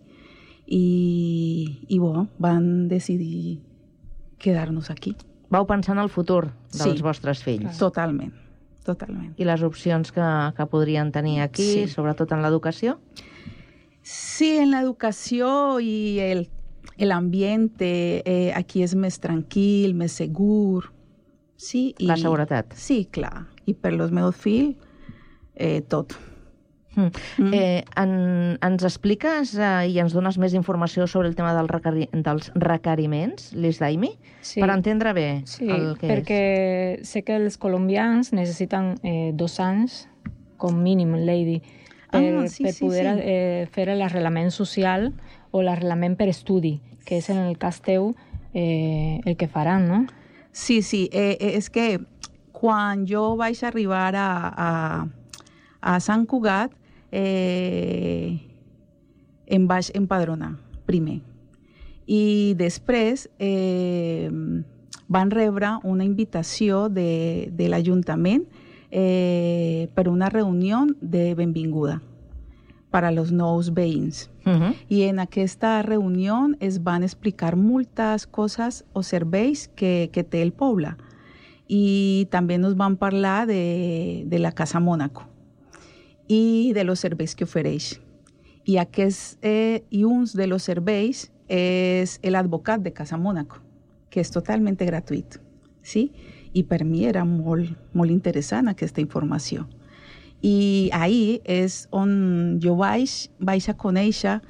I van decidir quedar-nos aquí. Vau pensar en el futur dels vostres fills. Totalment. I les opcions que podrien tenir aquí, sobretot en l'educació? Sí, en l'educació i l'ambient aquí és més tranquil, més segur. Sí, la seguretat. Sí, clar. I per els meus fills, tot. Ens expliques i ens dones més informació sobre el tema dels requeriments, Lisdaimi? Sí. Per entendre bé el que és. Perquè sé que els colombians necessiten 2 anys, com mínim, Lady, per poder fer l'arrelament social o l'arrelament per estudi, que és en el cas teu el que faran, no? Sí, és que quan jo vaig arribar a Sant Cugat, em vaig empadronar primer. I després van rebre una invitació de l'Ajuntament per una reunió de benvinguda per a els nous veïns. I en aquesta reunió es van explicar moltes coses o serveis que té el poble. I també ens van parlar de la Casa Mónaco i de los serveis que ofereix. I un dels serveis és l'advocat de Casa Mónaco, que és totalment gratuït. Sí? I per mi era molt interessant aquesta informació. I ahir és on jo vaig a conèixer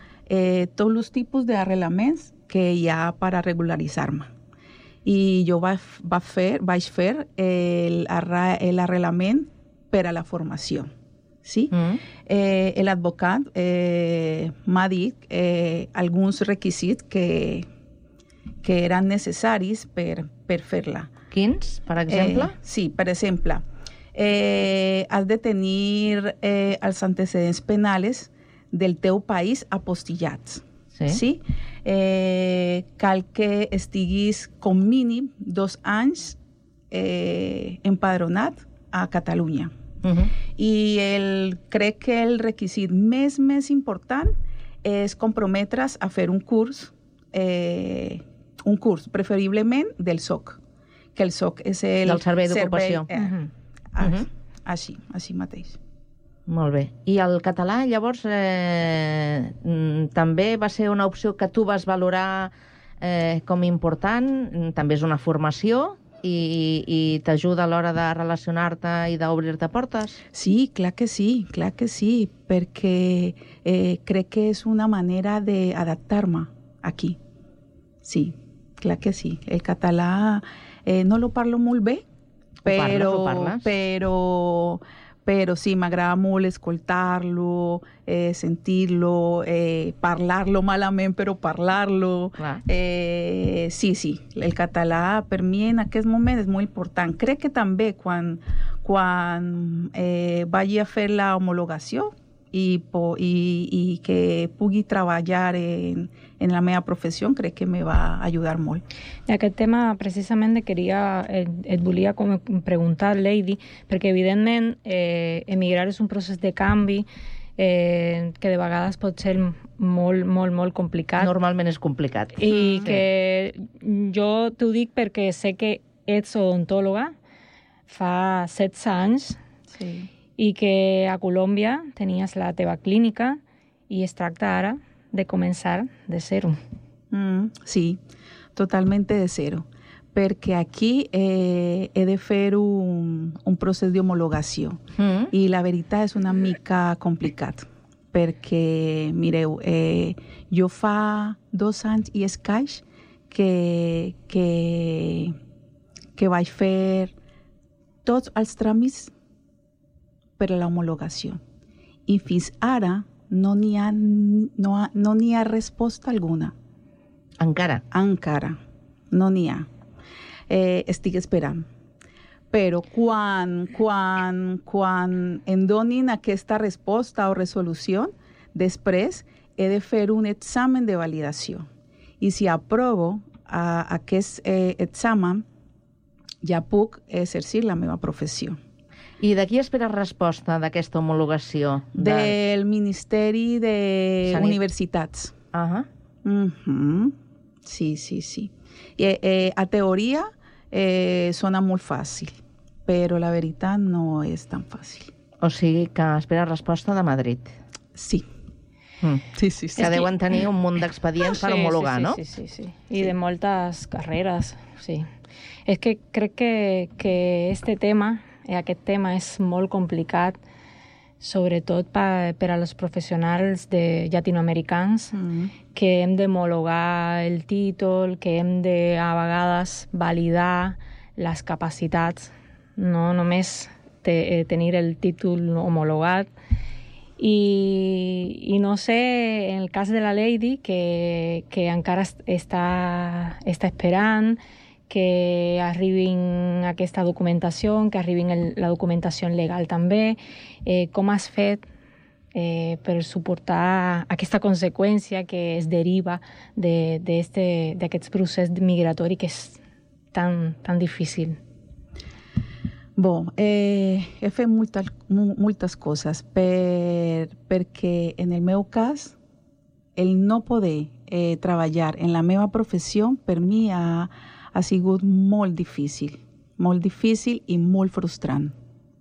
tots els tipus d'arrelaments que hi ha per a regularitzar-me. i jo vaig fer l'arrelament per a la formació. Sí? L'advocat m'ha dit alguns requisits que eren necessaris per fer-la. Quins, per exemple? Sí, per exemple, has de tenir els antecedents penals del teu país apostillats. Sí? Cal que estiguis com mínim 2 anys empadronat a Catalunya. I crec que el requisit més important és comprometre's a fer un curs, preferiblement del SOC, que el SOC és el Servei d'Ocupació. Així mateix. Molt bé. I el català, llavors, també va ser una opció que tu vas valorar com important? També és una formació i t'ajuda a l'hora de relacionar-te i d'obrir-te portes? Sí, clar que sí, perquè crec que és una manera d'adaptar-me aquí. Sí, clar que sí. El català no lo parlo molt bé, però sí, m'agrada molt escoltar-lo, sentir-lo, parlar-lo malament, però parlar-lo. Sí, el català per mi en aquest moment és molt important. Crec que també quan vagi a fer la homologació i que pugui treballar en la meva professió, crec que me va ajudar molt. I aquest tema, precisament, et volia preguntar, Lady, perquè, evidentment, emigrar és un procés de canvi que de vegades pot ser molt, molt, molt complicat. Normalment és complicat. I que jo t'ho dic perquè sé que ets odontòloga fa 16 anys i que a Colòmbia tenies la teva clínica i es tracta ara de començar de zero. Sí, totalmente de zero. Perquè aquí he de fer un procés d'homologació. I la veritat és una mica complicat. Perquè, mireu, jo fa 2 anys i escaig que vaig fer tots els tràmits per a l'homologació. I fins ara no n'hi ha resposta alguna. Encara? Encara. No n'hi ha. Estic esperant. Però quan em donin aquesta resposta o resolució, després he de fer un examen de validació. I si aprovo aquest examen, ja puc exercir la meva professió. I de qui esperes resposta d'aquesta homologació? Del Ministeri d'Universitats. Sí. A teoria sona molt fàcil, però la veritat no és tan fàcil. O sigui que esperes resposta de Madrid. Sí. Sí. Que deuen tenir un munt d'expedients per homologar, no? Sí. I de moltes carreres, sí. És que crec que aquest tema és molt complicat, sobretot per als professionals llatinoamericans, que hem d'homologar el títol, que hem de, a vegades, validar les capacitats, no només tenir el títol homologat. I no sé, en el cas de la Lady, que encara està esperant que arribin aquesta documentació, que arribin la documentació legal també. Com has fet per suportar aquesta conseqüència que es deriva d'aquest procés migratori que és tan difícil? He fet moltes coses perquè en el meu cas el no poder treballar en la meva professió per mi ha sigut molt difícil i molt frustrant,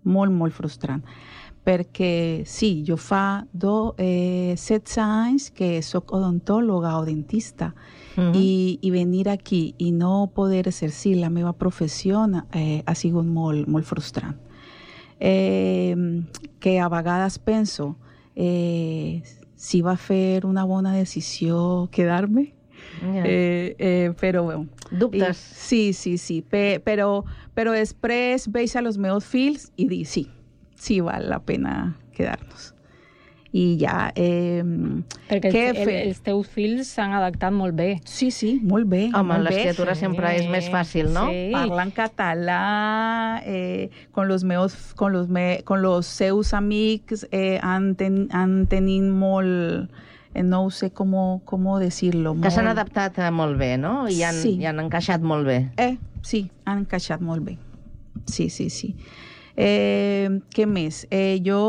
molt frustrant. Perquè sí, jo fa 16 anys que soc odontòloga o dentista i venir aquí i no poder exercir la meva professió ha sigut molt frustrant. Que a vegades penso si va fer una bona decisió quedar-me Però, bueno. Dubtes? Sí. Però després veig a los meus fills i dic, sí val la pena quedar-nos. I ja... Perquè els teus fills s'han adaptat molt bé. Sí, molt bé. Home, l'escriptura sempre és més fàcil, no? Sí. Parlen català, con los seus amics han tenint molt... No sé com dir-lo. Que s'han adaptat molt bé, no? I han encaixat molt bé. Sí, han encaixat molt bé. Sí. Què més? Jo...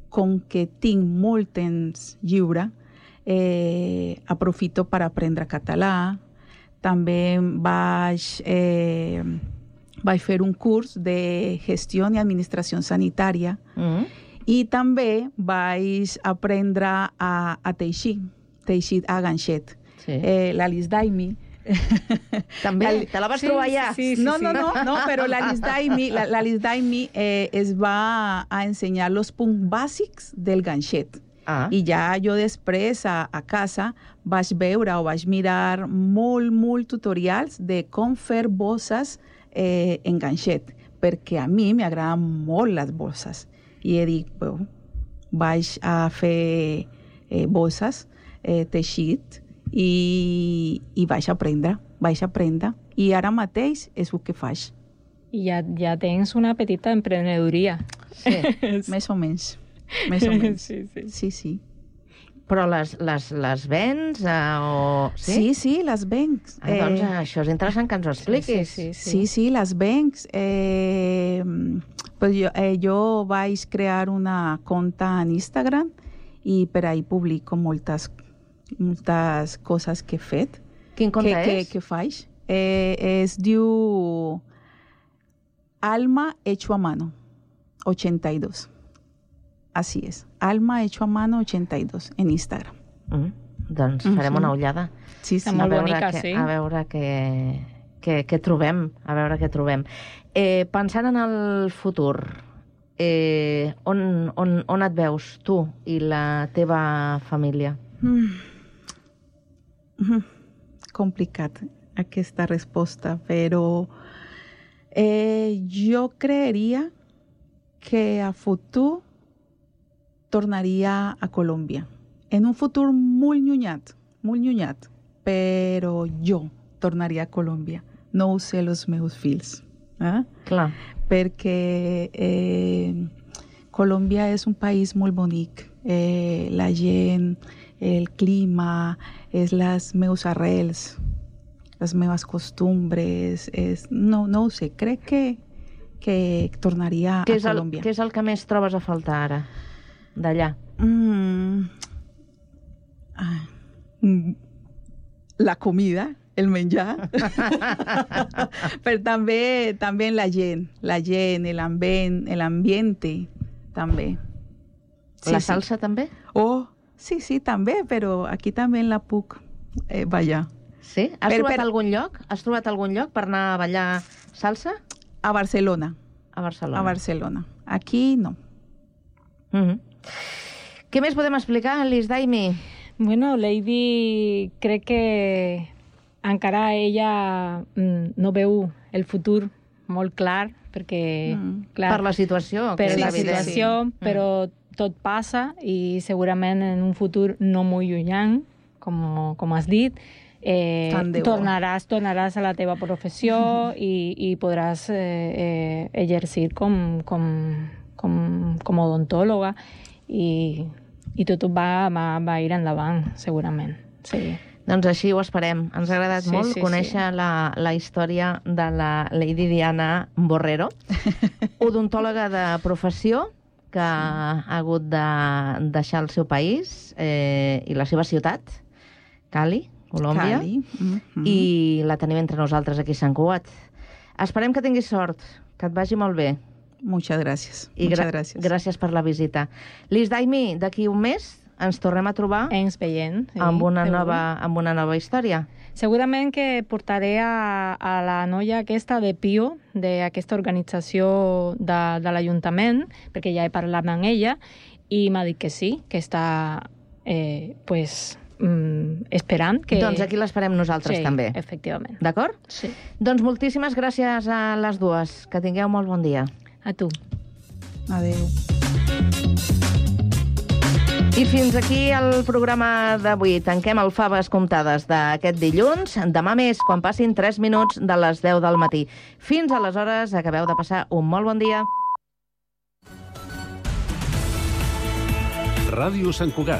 com que tinc molt temps lliure, aprofito per aprendre català. També vaig fer un curs de gestió i administració sanitària i també vaig aprendre a teixir a ganxet. L'Alice Daimi. També? Te la vas trobar ja? Sí. No, però l'Alice Daimi es va a ensenyar els punts bàsics del ganxet. I ja jo després a casa vaig veure o vaig mirar molt tutorials de com fer bosses en ganxet, perquè a mi m'agraden molt les bosses. I he dit, vaig a fer bosses, teixit, i vaig aprendre. I ara mateix és el que faig. I ja tens una petita emprenedoria. Sí, més o menys. Sí. Però les vens? Sí, les venc. Doncs això és interessant que ens ho expliquis. Sí, les venc. Jo vaig crear una compte en Instagram i per ahí publico moltes coses que he fet. Quin compte és? Que faig. Es diu Alma Hecho a Mano 82. Así es. Alma Hecho a Mano 82 en Instagram. Doncs farem una ullada. Sí. Molt bonica, sí. A veure què trobem. Pensant en el futur, on et veus tu i la teva família? Complicat aquesta resposta, però jo creeria que a futur tornaria a Colòmbia. En un futur molt llunyat, però jo tornaria a Colòmbia. No ho sé els meus fills. Clar. Perquè Colòmbia és un país molt bonic. La gent, el clima, és les meus arrels, les meves costumbres. No ho sé, crec que tornaria a Colòmbia. Què és el que més trobes a faltar ara, d'allà? La comida, el menjar, però també la gent, l'ambiente, també. La salsa també? Sí, també, però aquí també la puc ballar. Sí? Has trobat algun lloc? Has trobat algun lloc per anar a ballar salsa? A Barcelona. A Barcelona. A Barcelona. Aquí no. Què més podem explicar, Alice Daimi? Bueno, Lady crec que encara ella no veu el futur molt clar, perquè... Clar, per la situació. Per la situació, però tot passa i segurament en un futur no molt llunyà, com has dit, tornaràs a la teva professió i podràs exercir com odontòloga i tot va ir endavant, segurament. Sí. Doncs així ho esperem. Ens ha agradat molt conèixer la història de la Lady Diana Borrero, odontòloga de professió, que ha hagut de deixar el seu país i la seva ciutat, Cali, Colòmbia, i la tenim entre nosaltres aquí a Sant Cugat. Esperem que tinguis sort, que et vagi molt bé. Muchas gracias. I gràcies per la visita. Liz Daimi, d'aquí un mes ens tornem a trobar ens veiem, amb una nova història. Segurament que portaré a la noia aquesta de PIO, d'aquesta organització de l'Ajuntament, perquè ja he parlat amb ella, i m'ha dit que sí, que està esperant que... Doncs aquí l'esperem nosaltres també. Sí, efectivament. D'acord? Sí. Doncs moltíssimes gràcies a les dues. Que tingueu molt bon dia. A tu. Adéu. I fins aquí el programa d'avui. Tanquem el Faves Comptades d'aquest dilluns. Demà més, quan passin 3 minuts de les 10 del matí. Fins aleshores, acabeu de passar un molt bon dia. Ràdio Sant Cugat.